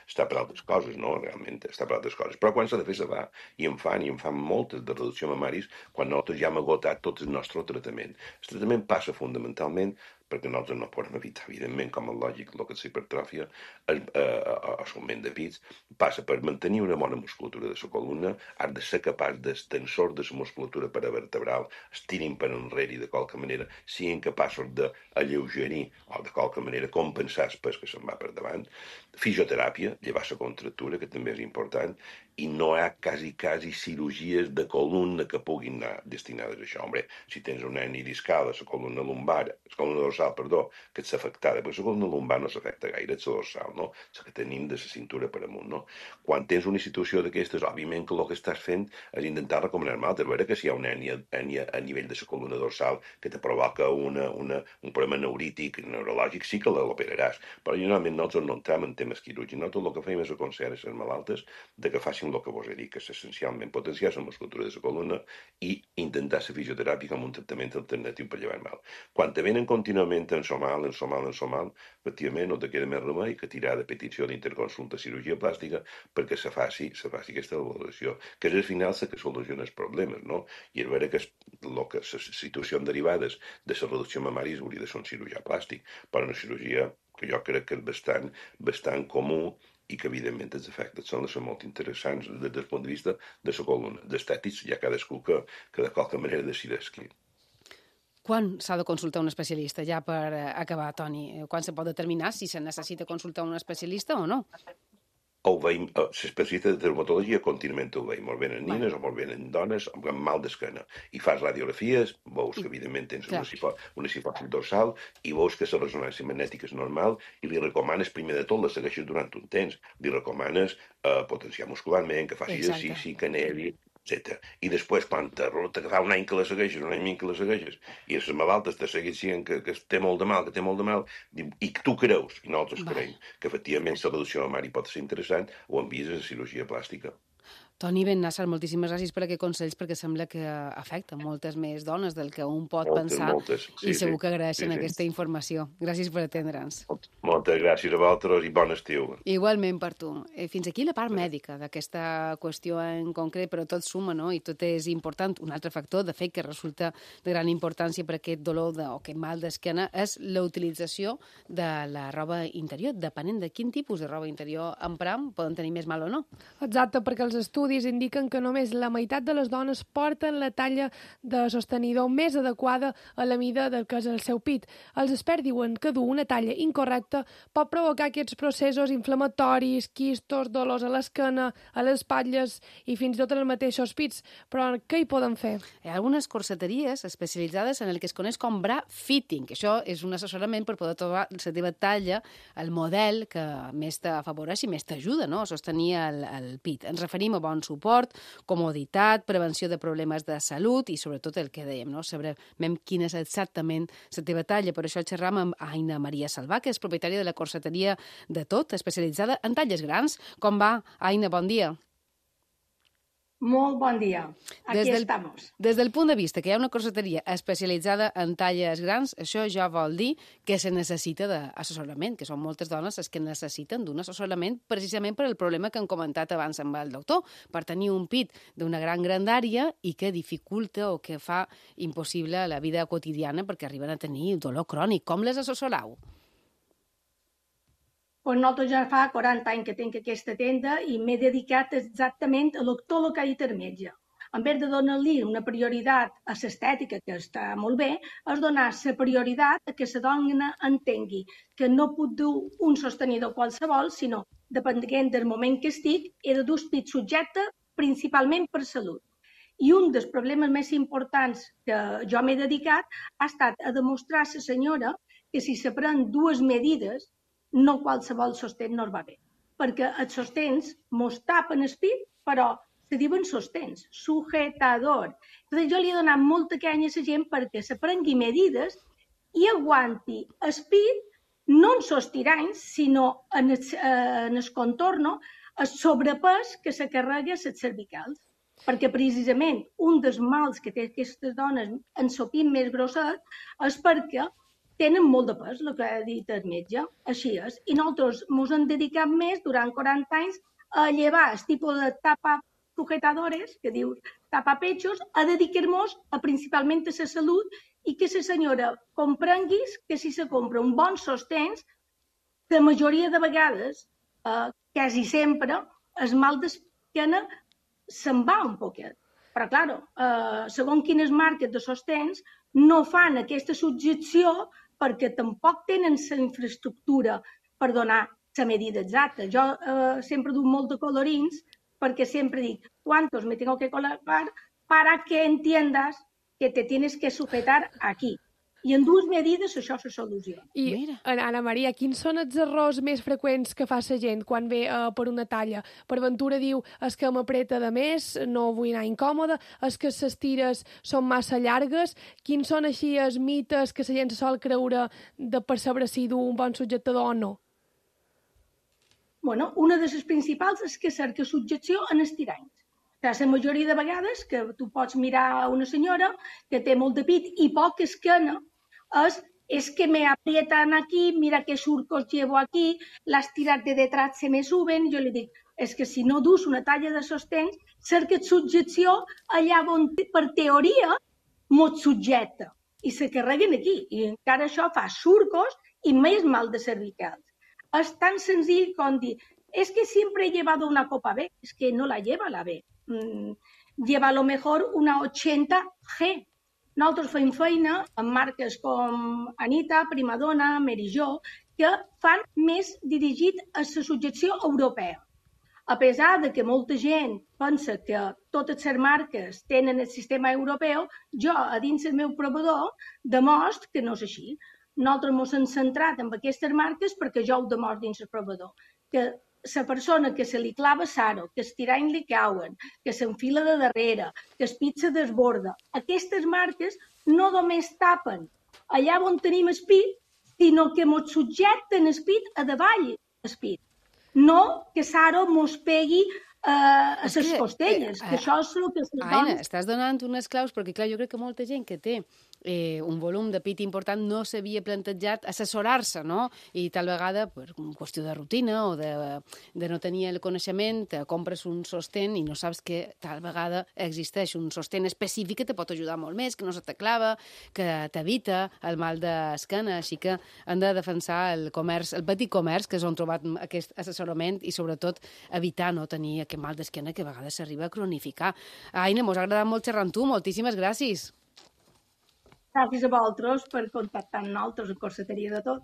està per altres coses, no? Realment està per altres coses. Però quan s'ha de fer se va, i en fan moltes de reducció mamàries quan nosaltres ja hem agotat tot el nostre tractament. El tractament passa fonamentalment perquè nosaltres no podem evitar, evidentment, com és lògic, el que és hipertròfia, l'augment de pits, passa per mantenir una bona musculatura de la columna, has de ser capaç d'extensor de la musculatura paravertebral, estirin per enrere i de qualque manera siguin capaços d'alleugerir o de qualque manera compensar el pes que se'n va per davant. Fisioteràpia, llevar la contractura, que també és important, i no hi ha quasi cirurgies de columna que puguin anar destinades a això. Hombre, si tens una hernia discal a la columna lumbar, la columna dorsal, perdó, que ets afectada, perquè la columna lumbar no s'afecta gaire, ets la dorsal, no? La que tenim de la cintura per amunt, no? Quan tens una situació d'aquestes, òbviament que el que estàs fent és intentar recomanar mal, a veure que si hi ha una hernia a nivell de la columna dorsal que te provoca un problema neurític, neurològic, sí que l'operaràs, però generalment nosaltres no entrem en temes quirúrgics, nosaltres el que fem és aconsellar a les malaltes de que facin el que vos he dit, que és essencialment potenciar la musculatura de la columna i intentar la fisioteràpia com un tractament alternatiu per llevar mal. Quan te venen contínuament en mal, efectivament no te queda més remei que tirar de petició d'interconsulta cirurgia plàstica perquè se faci aquesta valoració, que és al final la que soluciona els problemes, no? I és vera que les situacions derivades de la reducció mamària hauria de ser un cirurgià plàstic, però una cirurgia que jo crec que és bastant comú i que, evidentment, els efectes són molt interessants des del punt de vista de la columna. D'estètics, hi ha cadascú que de qualque manera decideix qui. Quan s'ha de consultar un especialista, ja per acabar, Toni? Quan se pot determinar si se necessita consultar un especialista o no? Ho veiem, l'especialista de dermatologia contínuament ho veiem, molt bé en nines o molt bé en dones amb mal d'esquena. I fas radiografies, veus que evidentment tens una cifosi dorsal i veus que la resonància magnètica és normal i li recomanes, primer de tot, la segueixes durant un temps. Li recomanes potenciar muscularment, que faci exercici, que nevi, etc. I després, quan te fa un any que la segueixes, un any i mig que la segueixes, i les malaltes te segueixen que té molt de mal, i que tu creus, i nosaltres creiem, que efectivament la reducció mamària pot ser interessant, ho envies a la cirurgia plàstica. Toni Bennàsser, moltíssimes gràcies per aquests consells, perquè sembla que afecta moltes més dones del que un pot pensar, i segur que agraeixen aquesta informació. Gràcies per atendre'ns. Moltes gràcies a vosaltres i bon estiu. Igualment per tu. Fins aquí la part mèdica d'aquesta qüestió en concret, però tot suma, no? I tot és important. Un altre factor, de fet, que resulta de gran importància per aquest dolor o aquest mal d'esquena és la utilització de la roba interior. Depenent de quin tipus de roba interior empram, poden tenir més mal o no. Exacte, perquè els estudis indiquen que només la meitat de les dones porten la talla de sostenidor més adequada a la mida del que és el seu pit. Els experts diuen que dur una talla incorrecta pot provocar aquests processos inflamatoris, quistos, dolors a l'esquena, a les espatlles i fins i tot en els mateixos pits. Però què hi poden fer? Hi ha algunes corseteries especialitzades en el que es coneix com bra fitting, que això és un assessorament per poder trobar la teva talla, el model que més t'afavoreix i més t'ajuda, no?, a sostenir el pit. Ens referim a bon suport, comoditat, prevenció de problemes de salut i sobretot el que dèiem, no?, sabrem quina és exactament la teva talla. Per això xerram amb Aina Maria Salvà, que és propietària de la corseteria de Tot, especialitzada en talles grans. Com va, Aina? Bon dia. Molt bon dia. Aquí estamos. Des del punt de vista que hi ha una corseteria especialitzada en talles grans, això ja vol dir que se necessita d'assessorament, que són moltes dones les que necessiten d'un assessorament precisament per el problema que hem comentat abans amb el doctor, per tenir un pit d'una gran grandària i que dificulta o que fa impossible la vida quotidiana perquè arriben a tenir dolor crònic. Com les assessorau? Pues nosaltres ja fa 40 anys que tinc aquesta tenda i m'he dedicat exactament a tot el que ha dit el metge. En vez de donar-li una prioritat a l'estètica, que està molt bé, és donar la prioritat a que la dona entengui que no puc dur un sostenidor qualsevol, sinó, depenent del moment que estic, he de dur el pit subjecte principalment per salut. I un dels problemes més importants que jo m'he dedicat ha estat a demostrar a la senyora que si se pren dues medides, no qualsevol sostén no va bé, perquè els sostens mos tapen el pit, però se diuen sostens, sujetador. Llavors jo li he donat molta canya a la gent perquè se prengui medides i aguanti el pit, no en els tiranys, sinó en el contorno, el sobrepès que se carrega les cervicals. Perquè precisament un dels mals que té aquestes dones en el pit més grosset és perquè tenen molt de pes, el que ha dit el metge, així és. I nosaltres ens hem dedicat més, durant 40 anys, a llevar el tipus de tapa-sujetadores, que dius tapa-pechos, a dedicar-nos principalment a la salut i que la senyora comprenguis que si se compra un bon sostens, la majoria de vegades, quasi sempre, el mal d'esquena se'n va un poquet. Però, clar, segons quines marques de sostens no fan aquesta subjecció perquè tampoc tenen la infraestructura per donar la medida exacta. Jo sempre duc molt de colorins perquè sempre dic ¿cuántos me tengo que colocar para que entiendas que te tienes que sujetar aquí? I en dues medides això se soluciona. I, Anna Maria, quins són els errors més freqüents que fa la gent quan ve per una talla? Per ventura diu, és que m'apreta de més, no vull anar incòmoda, és que les tires són massa llargues. Quins són així els mites que la gent se sol creure de percebre si du un bon subjectador o no? Bueno, una de les principals és que cerca subjecció en estiranys. La majoria de vegades que tu pots mirar una senyora que té molt de pit i poca esquena, es que me aprietan aquí, mira qué surcos llevo aquí, las tiras de detrás se me suben. Jo li dic, és que si no dus una talla de sostens, cerca subjecció allà on per teoria mos subjecta i se carreguen aquí. I encara això fa surcos i més mal de cervicals. És tan senzill com dir, es que siempre he llevado una copa B, es que no la lleva la B. Lleva a lo mejor una 80G. Nosaltres fem feina amb marques com Anita, Primadonna, Mary Jo, que fan més dirigit a la subjecció europea. A pesar de que molta gent pensa que totes les marques tenen el sistema europeu, jo, a dins del meu proveïdor, demostro que no és així. Nosaltres ens hem centrat en aquestes marques perquè jo ho demostro dins el proveïdor. Que la persona que se li clava saro, que els tiranys li cauen, que s'enfila de darrere, que el pit se desborda, aquestes marques no només tapen allà on tenim el pit, sinó que ens subjecten el pit a davall el pit. No que saro mos pegui a les costelles, que això és el que... Aina, estàs donant unes claus, perquè clar, jo crec que molta gent que té un volum de pit important no s'havia plantejat assessorar-se, no? I tal vegada, per qüestió de rutina o de no tenir el coneixement, compres un sostén i no saps que tal vegada existeix un sostén específic que te pot ajudar molt més, que no se te clava, que t'evita el mal d'esquena, així que han de defensar el comerç, el petit comerç, que és on trobat aquest assessorament i sobretot evitar no tenir aquest mal d'esquena que a vegades s'arriba a cronificar. Aina, mos ha agradat molt xerrar amb tu, moltíssimes gràcies. Gràcies a vosaltres per contactar amb nosaltres, en corseteria de tot.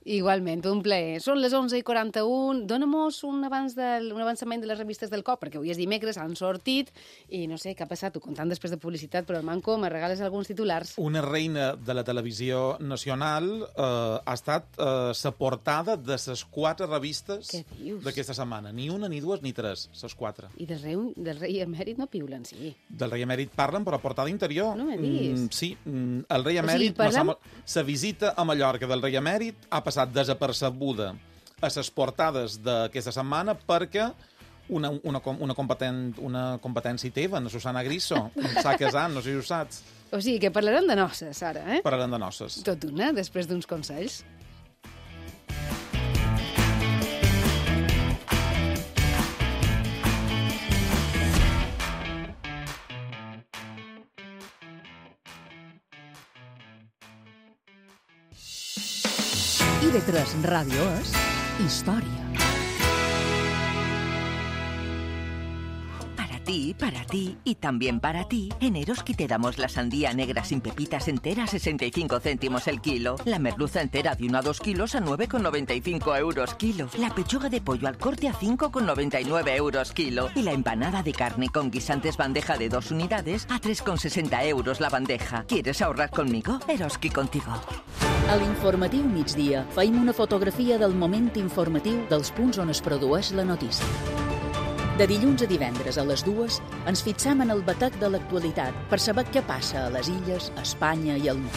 Igualment, un plaer. Són les 11:41. Dóna-mos un avançament de les revistes del COP, perquè avui és dimecres, han sortit, i no sé què ha passat, tu contant després de publicitat, però el Manco, me regales alguns titulars. Una reina de la televisió nacional ha estat la portada de les 4 revistes d'aquesta setmana. Ni una, ni dues, ni tres, les 4. I del rei emèrit no piulen, sí. Del rei emèrit parlen, però a portada interior. No m'he vist. Sí, el rei emèrit... La visita a Mallorca del rei emèrit ha passat desapercebuda a les portades d'aquesta setmana perquè una competència teva, la Susana Griso, s'ha casat, no sé si ho saps. O sigui, que parlarem de noces, ara, eh? Parlarem de noces. Tot una, després d'uns consells. IB3 Ràdio és història. Para ti y también para ti, en Eroski te damos la sandía negra sin pepitas entera a 65 céntimos el kilo, la merluza entera de 1 a 2 kilos a 9,95 euros kilo, la pechuga de pollo al corte a 5,99 euros kilo y la empanada de carne con guisantes bandeja de 2 unidades a 3,60 euros la bandeja. ¿Quieres ahorrar conmigo? Eroski contigo. A l'informatiu migdia feim una fotografia del moment informatiu dels punts on es produeix la notícia. De dilluns a divendres a les 2 ens fixam en el batec de l'actualitat per saber què passa a les illes, a Espanya i al món.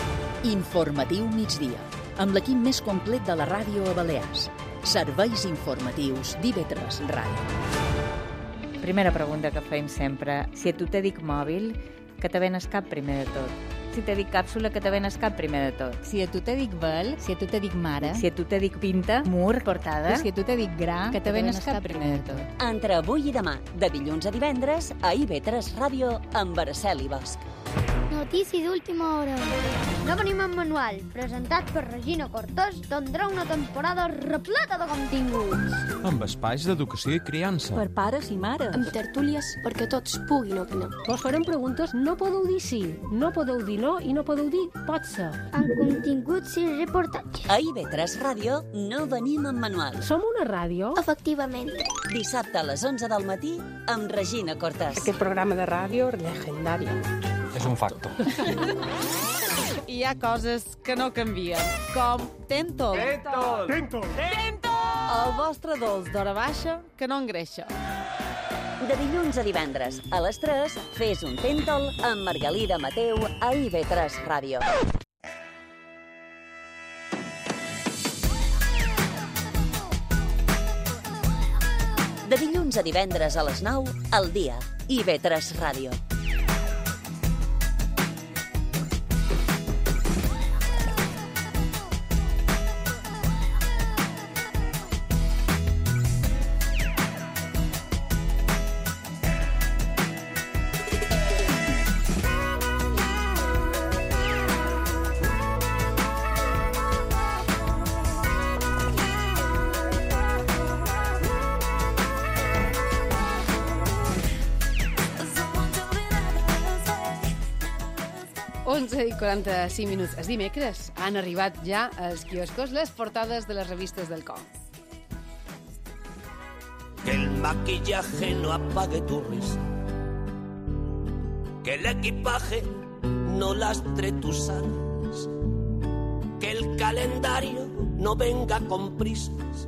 Informatiu migdia, amb l'equip més complet de la ràdio a Balears. Serveis informatius d'IB3 Ràdio. Primera pregunta que fem sempre. Si a tu te dic mòbil, que te ven el cap primer de tot? Si te dic càpsula, que te ven el cap primer de tot? Si a tu te dic vel, si a tu te dic mare, si a tu te dic pinta, mur, portada, si a tu te dic gra, que te ven el cap primer de tot? Entre avui i demà, de dilluns a divendres, a IB3 Ràdio, amb Araceli Bosch. Notícia d'última hora. No venim en manual, presentat per Regina Cortés, tindrà una temporada repleta de continguts. Amb espais d'educació i criança. Per pares i mares. Amb tertúlies perquè tots puguin opinar. Vos farem preguntes, no podeu dir sí, no podeu dir no i no podeu dir pot ser. Amb continguts i reportatges. A IB3 Ràdio no venim en manual. Som una ràdio? Efectivament. Dissabte a les 11 del matí amb Regina Cortés. Aquest programa de ràdio legendari. És un facto. Hi ha coses que no canvien, com Tentol. El vostre dolç d'hora baixa que no engreixa. De dilluns a divendres, a les 3, fes un Tentol amb Margalida Mateu a IB3 Ràdio. De dilluns a divendres a les 9, al dia, IB3 Ràdio. I 45 minuts. Els dimecres han arribat ja als quioscos les portades de les revistes del cor. Que el maquillaje no apague tu risa, que el equipaje no lastre tus alas, que el calendario no venga con prisas.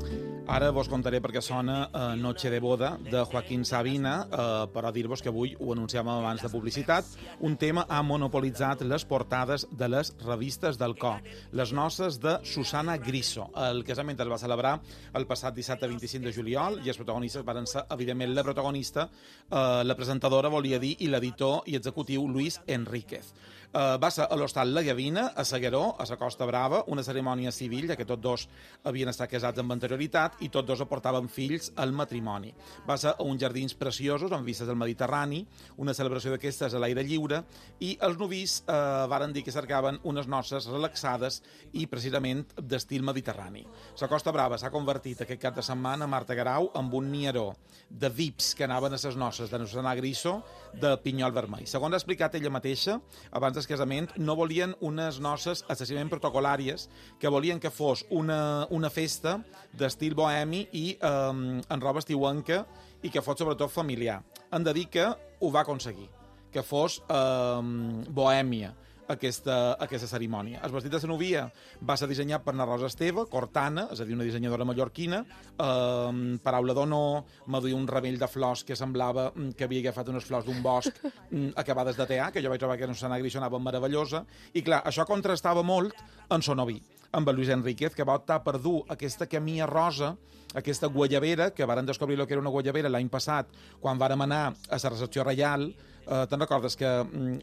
Ara vos contaré perquè sona Noche de boda, de Joaquín Sabina, però dir-vos que avui, ho anunciàvem abans de publicitat, un tema ha monopolitzat les portades de les revistes del cor. Les noces de Susana Griso. El casament es va celebrar el passat dissabte 25 de juliol i els protagonistes van ser, evidentment, la protagonista, la presentadora, volia dir, i l'editor i executiu Luis Enríquez. Va ser a l'Hostal La Gavina, a Segueró, a la Costa Brava, una cerimònia civil, ja que tots dos havien estat casats amb anterioritat i tots dos aportaven fills al matrimoni. Va ser a uns jardins preciosos amb vistes al Mediterrani, una celebració d'aquestes a l'aire lliure, i els novis varen dir que cercaven unes noces relaxades i precisament d'estil mediterrani. La Costa Brava s'ha convertit aquest cap de setmana a Marta Garau amb un nieró de VIPs que anaven a les noces de Susana Griso de pinyol vermell. Segons ha explicat ella mateixa, abans del casament no volien unes noces excessivament protocolàries, que volien que fos una festa d'estil bohemi i en roba estiuenca i que fos sobretot familiar. Han de dir que ho va aconseguir, que fos bohèmia aquesta cerimònia. El vestit de la novia va ser dissenyat per na Rosa Esteve, Cortana, és a dir, una dissenyadora mallorquina, paraula d'honor, m'ha duit un ramell de flors que semblava que havia agafat unes flors d'un bosc acabades de tear, que jo vaig trobar que en Susana Griso anava meravellosa, i clar, això contrastava molt en son novi, amb el Luis Enríquez, que va optar per dur aquesta camilla rosa, aquesta guayabera, que varen descobrir el que era una guayabera l'any passat, quan vàrem anar a la recepció reial. Te'n recordes que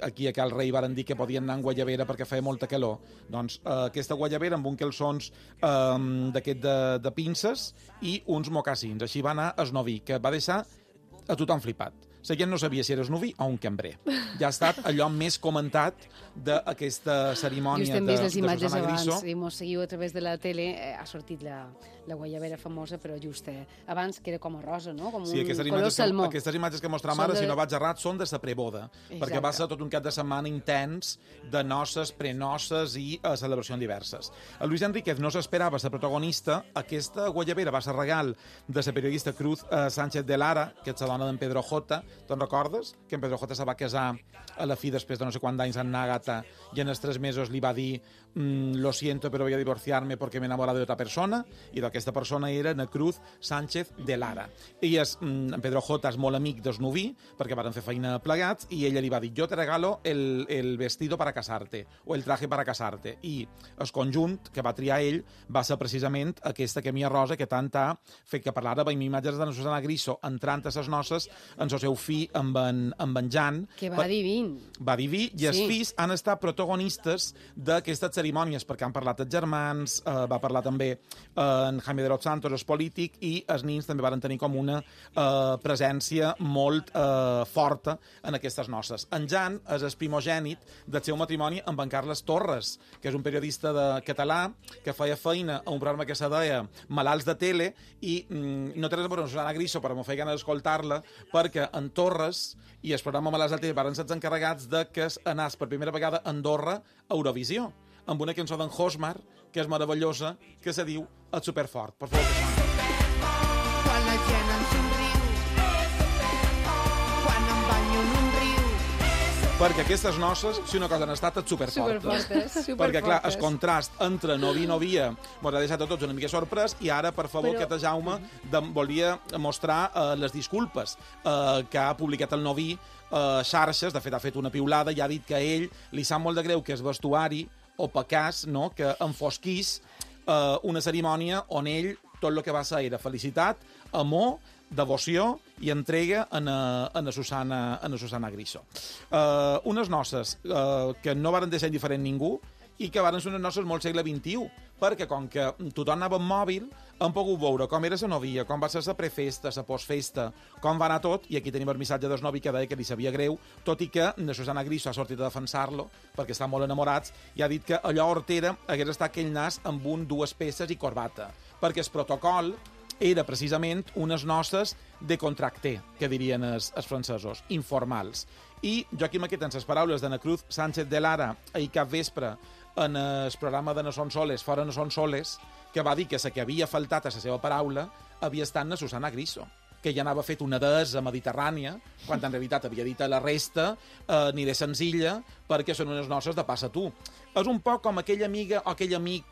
aquí a Cal Rei varen dir que podien anar en guayabera perquè feia molta calor? Doncs aquesta guayabera amb un calçons d'aquest de pinces i uns mocassins. Així va anar el novi, que va deixar a tothom flipat. La gent no sabia si eres novi o un cambrer. Ja ha estat allò més comentat d'aquesta cerimònia de Susana Griso. Abans, i mos seguiu a través de la tele, ha sortit la guayabera famosa, però just abans que era com a rosa, no? Com sí, un color salmó. Aquestes imatges que mostram ara, si no vaig errat, són de la preboda, perquè va ser tot un cap de setmana intens de noces, prenoces i celebracions diverses. El Luis Enríquez no s'esperava ser protagonista. Aquesta guayabera va ser regal de la periodista Cruz Sánchez de Lara, que és la dona d'en Pedro J. Te'n recordes? Que en Pedro J se va casar a la fi després de no sé quants anys amb Nagata i en els 3 mesos li va dir lo siento, pero voy a divorciarme porque me he enamorado de otra persona, i d'aquesta persona era na Cruz Sánchez de Lara. En Pedro J és molt amic del noví, perquè van fer feina plegats, i ella li va dir, yo te regalo el vestido para casarte, o el traje para casarte, i el conjunt que va triar ell va ser precisament aquesta camilla rosa que tant ha fet que parlara amb imatges de Susana Griso entrant a ses noces en el seu fill amb en Jan. Que va diví. Va diví, i els fills han estat protagonistes d'aquesta cerimònia cerimònies, perquè han parlat els germans, va parlar també en Jaime de los Santos, el polític, i els nins també van tenir com una presència molt forta en aquestes noces. En Jan és el primogènit del seu matrimoni amb en Carles Torres, que és un periodista català que feia feina a un programa que se deia Malalts de Tele, i no té res a veure amb Susana Griso, però m'ho feia gana d'escoltar-la, perquè en Torres i el programa Malalts de Tele van ser encarregats de que anàs per primera vegada a Andorra a Eurovisió, amb una cançó d'en Hosmar, que és meravellosa, que se diu El Superfort. Per favor, que soni. Quan la gent em somriu, quan em banyo en un riu. Perquè aquestes noces, si una cosa han estat, és superfortes. Perquè, clar, el contrast entre novi i novia mos ha deixat a tots una mica sorprès, i ara, per favor, que Jaume volia mostrar les disculpes que ha publicat el novi xarxes. De fet, ha fet una piulada i ha dit que a ell li sap molt de greu que és vestuari o pecàs, no?, que enfosquís una cerimònia on ell tot el que va ser era felicitat, amor, devoció i entrega a Susana Griso. Unes noces que no varen deixar indiferent ningú i que varen ser unes noces molt segle XXI, perquè com que tothom anava amb mòbil, hem pogut veure com era la novia, com va ser la prefesta, la postfesta, com va anar tot, i aquí tenim el missatge del novi que deia que li sabia greu, tot i que Susana Griso ha sortit a defensar-lo, perquè estan molt enamorats, i ha dit que allò Hortera hagués estat aquell nas amb dues peces i corbata, perquè el protocol era precisament unes noces de contracté, que dirien els francesos, informals. I Joaquim aquí tens les paraules d'Ana Cruz Sánchez de Lara ahir cap vespre en el programa de No Son Soles, Fora No Son Soles, que va dir que la que havia faltat a la seva paraula havia estat na Susana Griso, que ja anava fet una deessa mediterrània, quan en realitat havia dit a la resta aniré senzilla perquè són unes noces de passa tu. És un poc com aquella amiga o aquell amic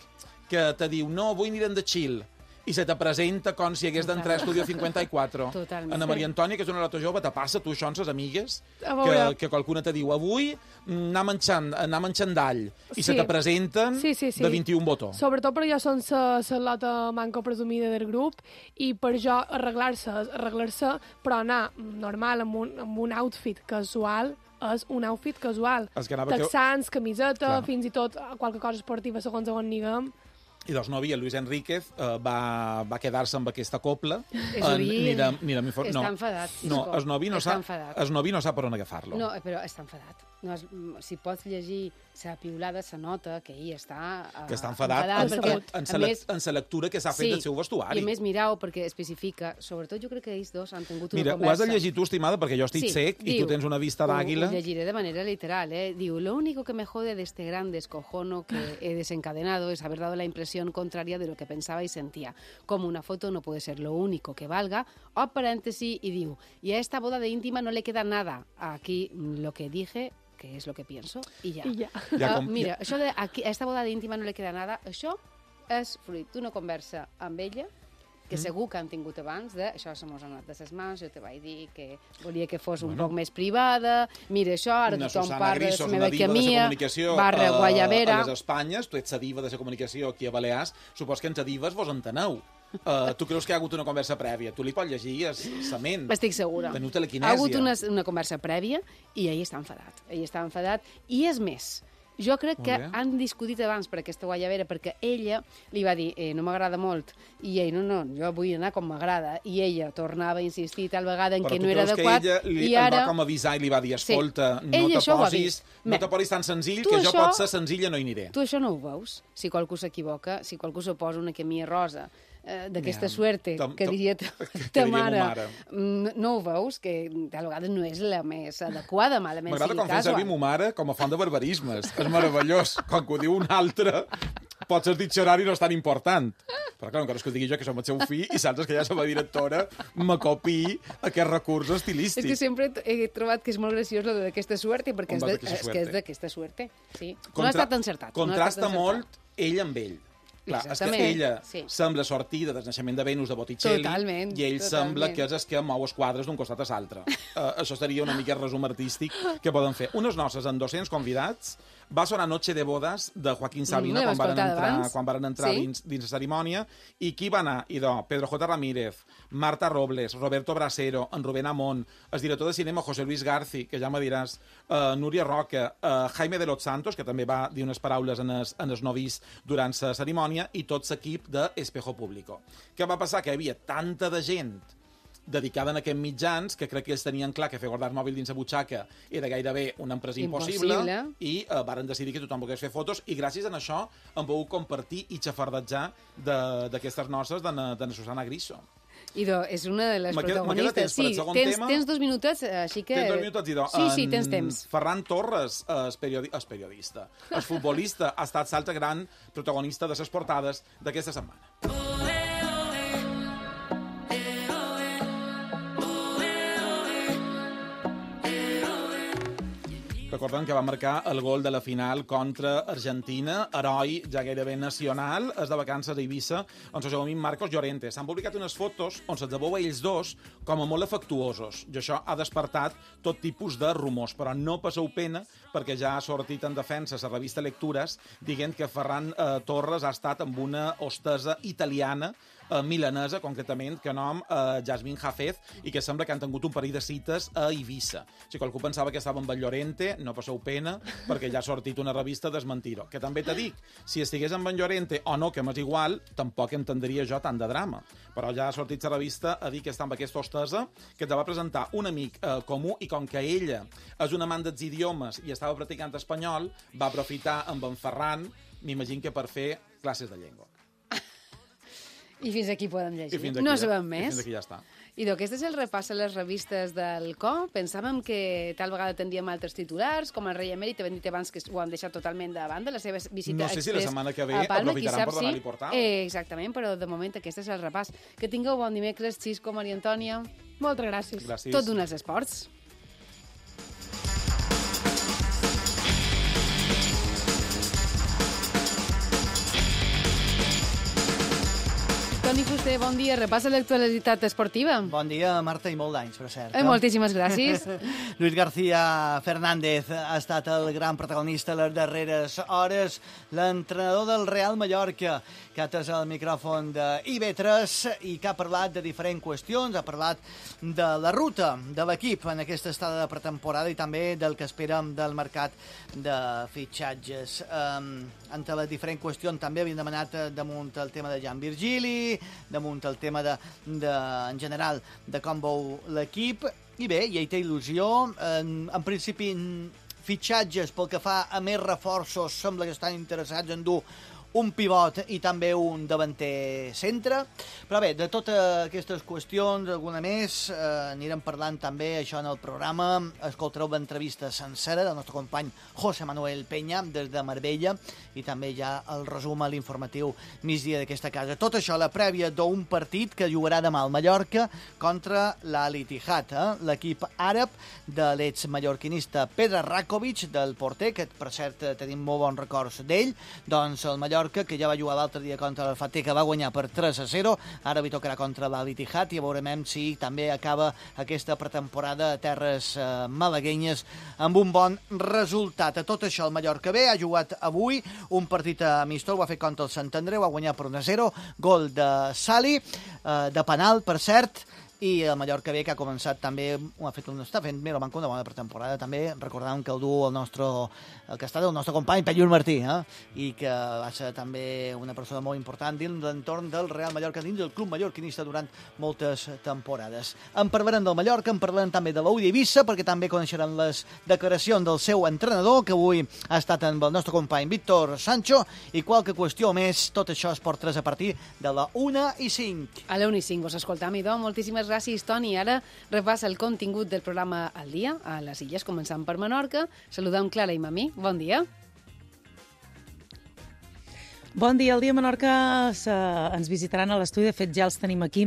que te diu no, avui anirem de chill, i se te presenta com si hagués d'entrar a Estudio 54. Totalment. Ana Maria Antònia, que és una lata jove, te passa tu això amb ses amigues, que qualcuna te diu avui anar menjant d'all, i se te presenten de 21 botons. Sobretot perquè jo són la lota manco presumida del grup, i per jo arreglar-se, però anar normal amb un outfit casual, és un outfit casual. Texans, camiseta, fins i tot qualque cosa esportiva segons on niguem. I doncs novi, el Luis Enríquez va quedar-se amb aquesta copla. Està enfadat. No, el novi no sap per on agafar-lo. No, però està enfadat. Si pots llegir la piulada, se nota que ell està... Que està enfadat en la lectura que s'ha fet del seu vestuari. I a més, mirau, perquè especifica, sobretot jo crec que ells dos han tingut una conversa... Mira, ho has de llegir tu, estimada, perquè jo estic sec i tu tens una vista d'àguila. Ho llegiré de manera literal, Diu, lo único que me jode de este gran descojono que he desencadenado es haber dado la impresión contraria de lo que pensaba y sentía. Como una foto no puede ser lo único que valga. O paréntesis, y diu, y a esta boda de íntima no le queda nada. Aquí lo que dije, que és el que pienso, i ja. Mira, això de a esta boda d'íntima no le queda nada, això és fruit d'una conversa amb ella, que segur que han tingut abans això se mos ha anat de ses mans, jo te vaig dir que volia que fos un poc més privada, mira això, ara tothom parla de la meva camia, barra Guayabera. A les Espanyes, tu ets la diva de la comunicació aquí a Balears, supos que entre dives vos enteneu. Tu creus que hi ha hagut una conversa prèvia? Tu li pots llegir la ment. Estic segura. Teniu telequinèsia. Ha hagut una conversa prèvia i ell està enfadat. I és més, jo crec que han discutit abans per aquesta Guayabera, perquè ella li va dir no m'agrada molt, i ell no, jo vull anar com m'agrada, i ella tornava a insistir tal vegada en que no era adequat. Però tu creus que ella va com avisar i li va dir escolta, no te posis tan senzill, que jo pot ser senzilla no hi aniré. Tu això no ho veus? Si qualcú s'equivoca, si qualcú se posa una camisa rosa d'aquesta suerte, que diria ta mare, no ho veus? Que tal vegada no és la més adequada, malament. M'agrada com fem servir mo mare com a font de barbarismes. És meravellós. Com que ho diu un altre, potser el diccionari no és tan important. Però clar, encara és que ho digui jo, que som el seu fill, i saps que ja som la directora, me copi aquest recurs estilístic. És que sempre he trobat que és molt graciós lo d'aquesta suerte, perquè és d'aquesta suerte. No ha estat encertat. Contrasta molt ell amb ell. Clar, és que ella sembla sortida del naixement de Venus de Botticelli i ell sembla que és el que mou els quadres d'un costat a l'altre. Això seria una mica el resum artístic que poden fer. Unes noces amb 200 convidats, Va sonar Noche de Bodas de Joaquín Sabina quan van entrar dins la cerimònia. I qui va anar? Pedro J. Ramírez, Marta Robles, Roberto Brasero, en Rubén Amón, el director de cinema José Luis Garci, que ja me diràs, Núria Roca, Jaime de los Santos, que també va dir unes paraules en els novis durant la cerimònia, i tot l'equip d'Espejo Público. Què va passar? Que hi havia tanta de gent dedicada en aquests mitjans, que crec que ells tenien clar que fer guardar el mòbil dins la butxaca era gairebé una empresa impossible i varen decidir que tothom pogués fer fotos, i gràcies a això hem pogut compartir i xafardejar d'aquestes noces de Susana Griso. Idò, és una de les protagonistes. Sí, tens 2 minutets, així que... Tens 2 minutets, Idò. Sí, tens temps. Ferran Torres, el periodista, el futbolista, ha estat l'altre gran protagonista de les portades d'aquesta setmana. Recordem que va marcar el gol de la final contra Argentina, heroi ja gairebé nacional, és de vacances a Eivissa, on se juguen Marcos Llorente. S'han publicat unes fotos on se'ls veu a ells dos com a molt afectuosos, i això ha despertat tot tipus de rumors, però no passeu pena, perquè ja ha sortit en defensa la revista Lectures, dient que Ferran Torres ha estat amb una hostessa italiana, milanesa, concretament, que nom Jasmine Jafez, i que sembla que han tingut un parell de cites a Eivissa. Si qualcú pensava que estava amb el Llorente, no passeu pena, perquè ja ha sortit una revista desmentir-ho. Que també te dic, si estigués amb en Llorente o no, que m'és igual, tampoc entendria jo tant de drama. Però ja ha sortit la revista a dir que està amb aquesta hostessa, que te va presentar un amic comú, i com que ella és un amant dels idiomes i estava practicant espanyol, va aprofitar amb en Ferran, m'imagino que per fer classes de llengua. I fins aquí podem llegir. No sabem més. Fins aquí ja està. Idò, aquest és el repàs a les revistes del CO. Pensàvem que tal vegada tindríem altres titulars, com el rei emèrit, t'hem dit abans que ho han deixat totalment davant de la seva visita express. No sé si la setmana que ve aprofitaran per donar-li portal. Exactament, però de moment aquest és el repàs. Que tingueu bon dimecres, Xisco, Maria Antònia. Moltes gràcies. Tot d'un als esports. Toni Fuster, bon dia. Repassa l'actualitat esportiva. Bon dia, Marta, i molt d'anys, per cert. Moltíssimes gràcies. Luis García Fernández ha estat el gran protagonista a les darreres hores, l'entrenador del Real Mallorca, que ha atès el micròfon d'IV3 i que ha parlat de diferents qüestions, ha parlat de la ruta de l'equip en aquesta estada de pretemporada i també del que esperem del mercat de fitxatges. Entre les diferents qüestions també havien demanat damunt el tema de Jan Virgili, damunt el tema en general de com veu l'equip, i bé, ja hi té il·lusió. En principi, fitxatges pel que fa a més reforços sembla que estan interessats en dur un pivot i també un davanter centre. Però bé, de totes aquestes qüestions, alguna més, anirem parlant també això en el programa. Escoltareu l'entrevista sencera del nostre company José Manuel Peña des de Marbella i també ja el resum a l'informatiu migdia d'aquesta casa. Tot això a la prèvia d'un partit que jugarà demà al Mallorca contra l'Al Ittihad, l'equip àrab de l'ex-mallorquinista Pedro Rakovic, del porter, que per cert tenim molt bons records d'ell. Doncs el Mallorca, que ja va jugar l'altre dia contra el Fateh, que va guanyar per 3-0, ara li tocarà contra l'Al Ittihad i veurem si també acaba aquesta pretemporada a terres malaguenyes amb un bon resultat. A tot això el Mallorca B ha jugat avui un partit amistós, ho ha fet contra el Sant Andreu, ha guanyat per 1-0, gol de Sali, de penal, per cert, i el Mallorca B, que ha començat també, està fent una bona pretemporada també, recordant que el du el que està del nostre company Pelliur Martí, i que va ser també una persona molt important dins l'entorn del Real Mallorca, dins del club mallorquinista durant moltes temporades. En parlarem del Mallorca, en parlarem també de l'Ull d'Eivissa, perquè també coneixeran les declaracions del seu entrenador, que avui ha estat amb el nostre company Víctor Sancho, i qualque qüestió més. Tot això es Esport 3 a partir de la 1:05. A la 1:05 us escoltam, Idò. Moltíssimes gràcies, Toni. Ara repassa el contingut del programa al dia a les Illes, començant per Menorca. Saludem Clara i Mamí. Bon dia. Bon dia. El dia a Menorca ens visitaran a l'estudi. De fet, ja els tenim aquí.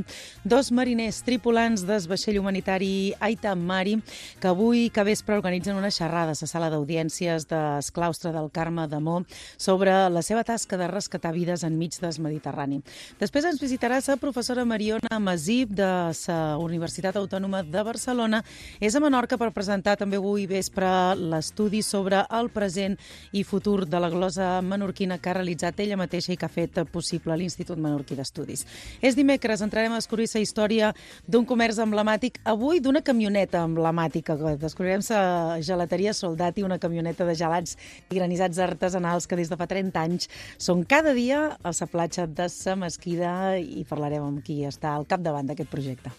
2 mariners tripulants del vaixell humanitari Aita Mari, que avui que vespre organitzen una xerrada a la sala d'audiències del claustre del Carme d'Amó sobre la seva tasca de rescatar vides enmig del Mediterrani. Després ens visitarà la professora Mariona Masip de la Universitat Autònoma de Barcelona. És a Menorca per presentar també avui vespre l'estudi sobre el present i futur de la glosa menorquina que ha realitzat ella mateixa i que ha fet possible l'Institut Menorquí d'Estudis. És dimecres, entrarem a descobrir la història d'un comerç emblemàtic, avui d'una camioneta emblemàtica. Descobrirem la gelateria Soldati, una camioneta de gelats i granissats artesanals que des de fa 30 anys són cada dia a la platja de la Mesquida i parlarem amb qui està al capdavant d'aquest projecte.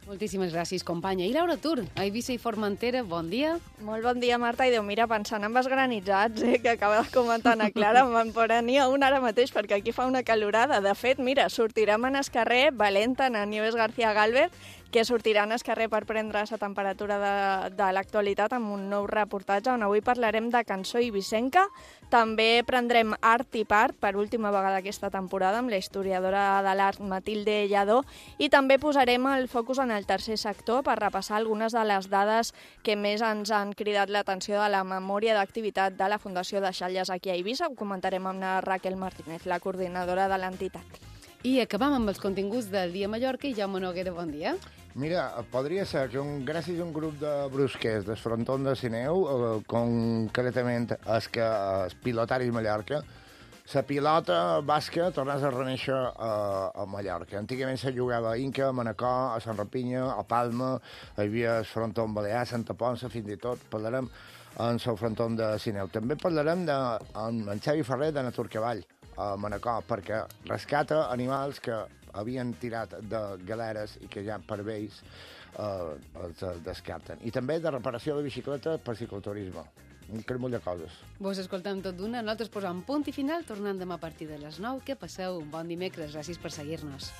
Moltíssimes gràcies, companya. I Laura Tur, a Eivissa i Formentera, bon dia. Molt bon dia, Marta. I Déu, mira, pensant en els granitzats, que acaba de comentar Ana Clara, me'n prenia un ara mateix, perquè aquí fa una calorada. De fet, mira, sortirem en el carrer Valenta, a Nieves García Galvez, que sortiran al carrer per prendre la temperatura de l'actualitat amb un nou reportatge on avui parlarem de cançó ibicenca. També prendrem art i part per última vegada aquesta temporada amb la historiadora de l'art Matilde Lladó i també posarem el focus en el tercer sector per repassar algunes de les dades que més ens han cridat l'atenció de la memòria d'activitat de la Fundació de Xalles aquí a Eivissa. Ho comentarem amb la Raquel Martínez, la coordinadora de l'entitat. I acabam amb els continguts del Dia a Mallorca i Jaume Noguera, bon dia. Mira, podria ser que gràcies a un grup de brusquers del frontó de Sineu, concretament els pilotaris Mallorca, la pilota basca tornés a reneixer a Mallorca. Antigament se jugava a Inca, a Manacor, a Sant Rapinya, a Palma, hi havia el frontó Balear, Santa Ponsa, fins i tot parlarem en el frontó de Sineu. També parlarem amb en Xavi Ferrer de Naturcavall, a Manacor, perquè rescata animals que havien tirat de galeres i que ja per vells els descarten. I també de reparació de bicicletes per cicloturisme. Un cremull de coses. Vos escoltem tot d'una, nosaltres posam punt i final, tornant demà a partir de les 9. Que passeu un bon dimecres, gràcies per seguir-nos.